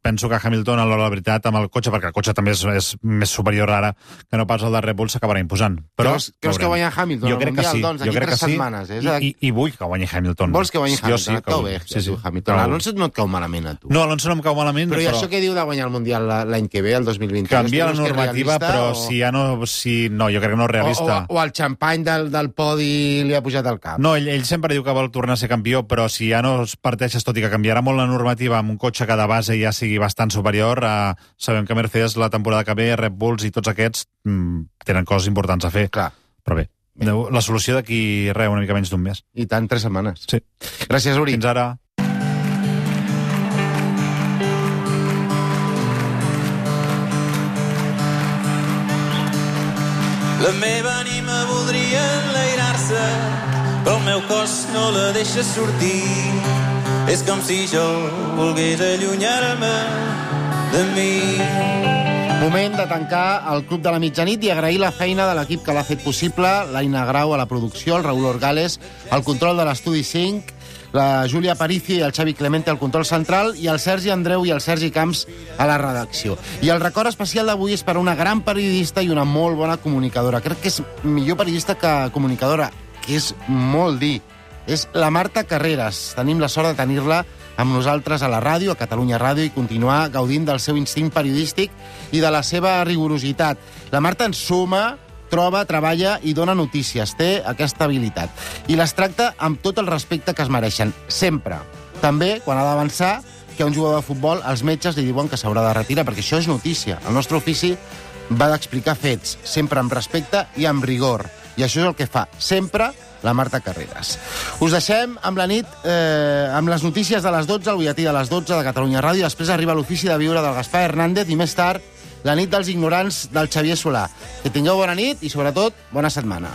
penso que Hamilton, a l'hora de la veritat, amb el cotxe, perquè el cotxe també és, és més superior ara que no pas el de Red Bull, s'acabarà imposant. Però creus, creus que guanya Hamilton jo crec Mundial, que sí. doncs, jo crec tres que sí. setmanes. Eh? I, i, I vull que guanyi Hamilton. Vols que guanyi Hamilton? Sí, et cau bé, sí, sí. Hamilton. Però... Alonso no et cau malament, a tu. No, Alonso no em cau malament. Però, però... i això que diu de guanyar el Mundial l'any que ve, el dos mil vint? Canvia la normativa, però o... si ja no... Si... No, jo crec que no és realista. O, o, o el xampany del, del podi li ha pujat al cap. No, ell, ell sempre diu que vol tornar a ser campió, però si ja no es parteixes, tot i que canviarà molt la normativa amb un cotxe que de base ja sigui bastant superior, eh, sabem que Mercedes la temporada que ve, Red Bulls i tots aquests mm, tenen coses importants a fer. Clar. Però bé, bé. La solució d'aquí, res, una mica menys d'un mes. I tant, tres setmanes. Sí. Gràcies, Uri. Fins ara. La meva ànima voldria enlairar-se, però el meu cos no la deixa sortir. És com si jo volgués allunyar-me de mi. Moment de tancar el Club de la Mitjanit i agrair la feina de l'equip que l'ha fet possible, l'Aina Grau a la producció, el Raül Orgales al control de l'Estudi cinc, la Júlia Aparicio i el Xavi Clemente al control central i el Sergi Andreu i el Sergi Camps a la redacció. I el record especial d'avui és per a una gran periodista i una molt bona comunicadora. Crec que és millor periodista que comunicadora, que és molt dir. És la Marta Carreras. Tenim la sort de tenir-la amb nosaltres a la ràdio, a Catalunya Ràdio, i continuar gaudint del seu instint periodístic i de la seva rigorositat. La Marta ens suma, troba, treballa i dona notícies. Té aquesta habilitat. I les tracta amb tot el respecte que es mereixen. Sempre. També, quan ha d'avançar, que a un jugador de futbol els metges li diuen que s'haurà de retirar, perquè això és notícia. El nostre ofici va d'explicar fets, sempre amb respecte i amb rigor. I això és el que fa sempre la Marta Carreras. Us deixem amb la nit, eh, amb les notícies de les dotze, el butlletí de les dotze de Catalunya Ràdio, després arriba l'ofici de viure del Gaspar Hernández i més tard la nit dels ignorants del Xavier Solà. Que tingueu bona nit i, sobretot, bona setmana.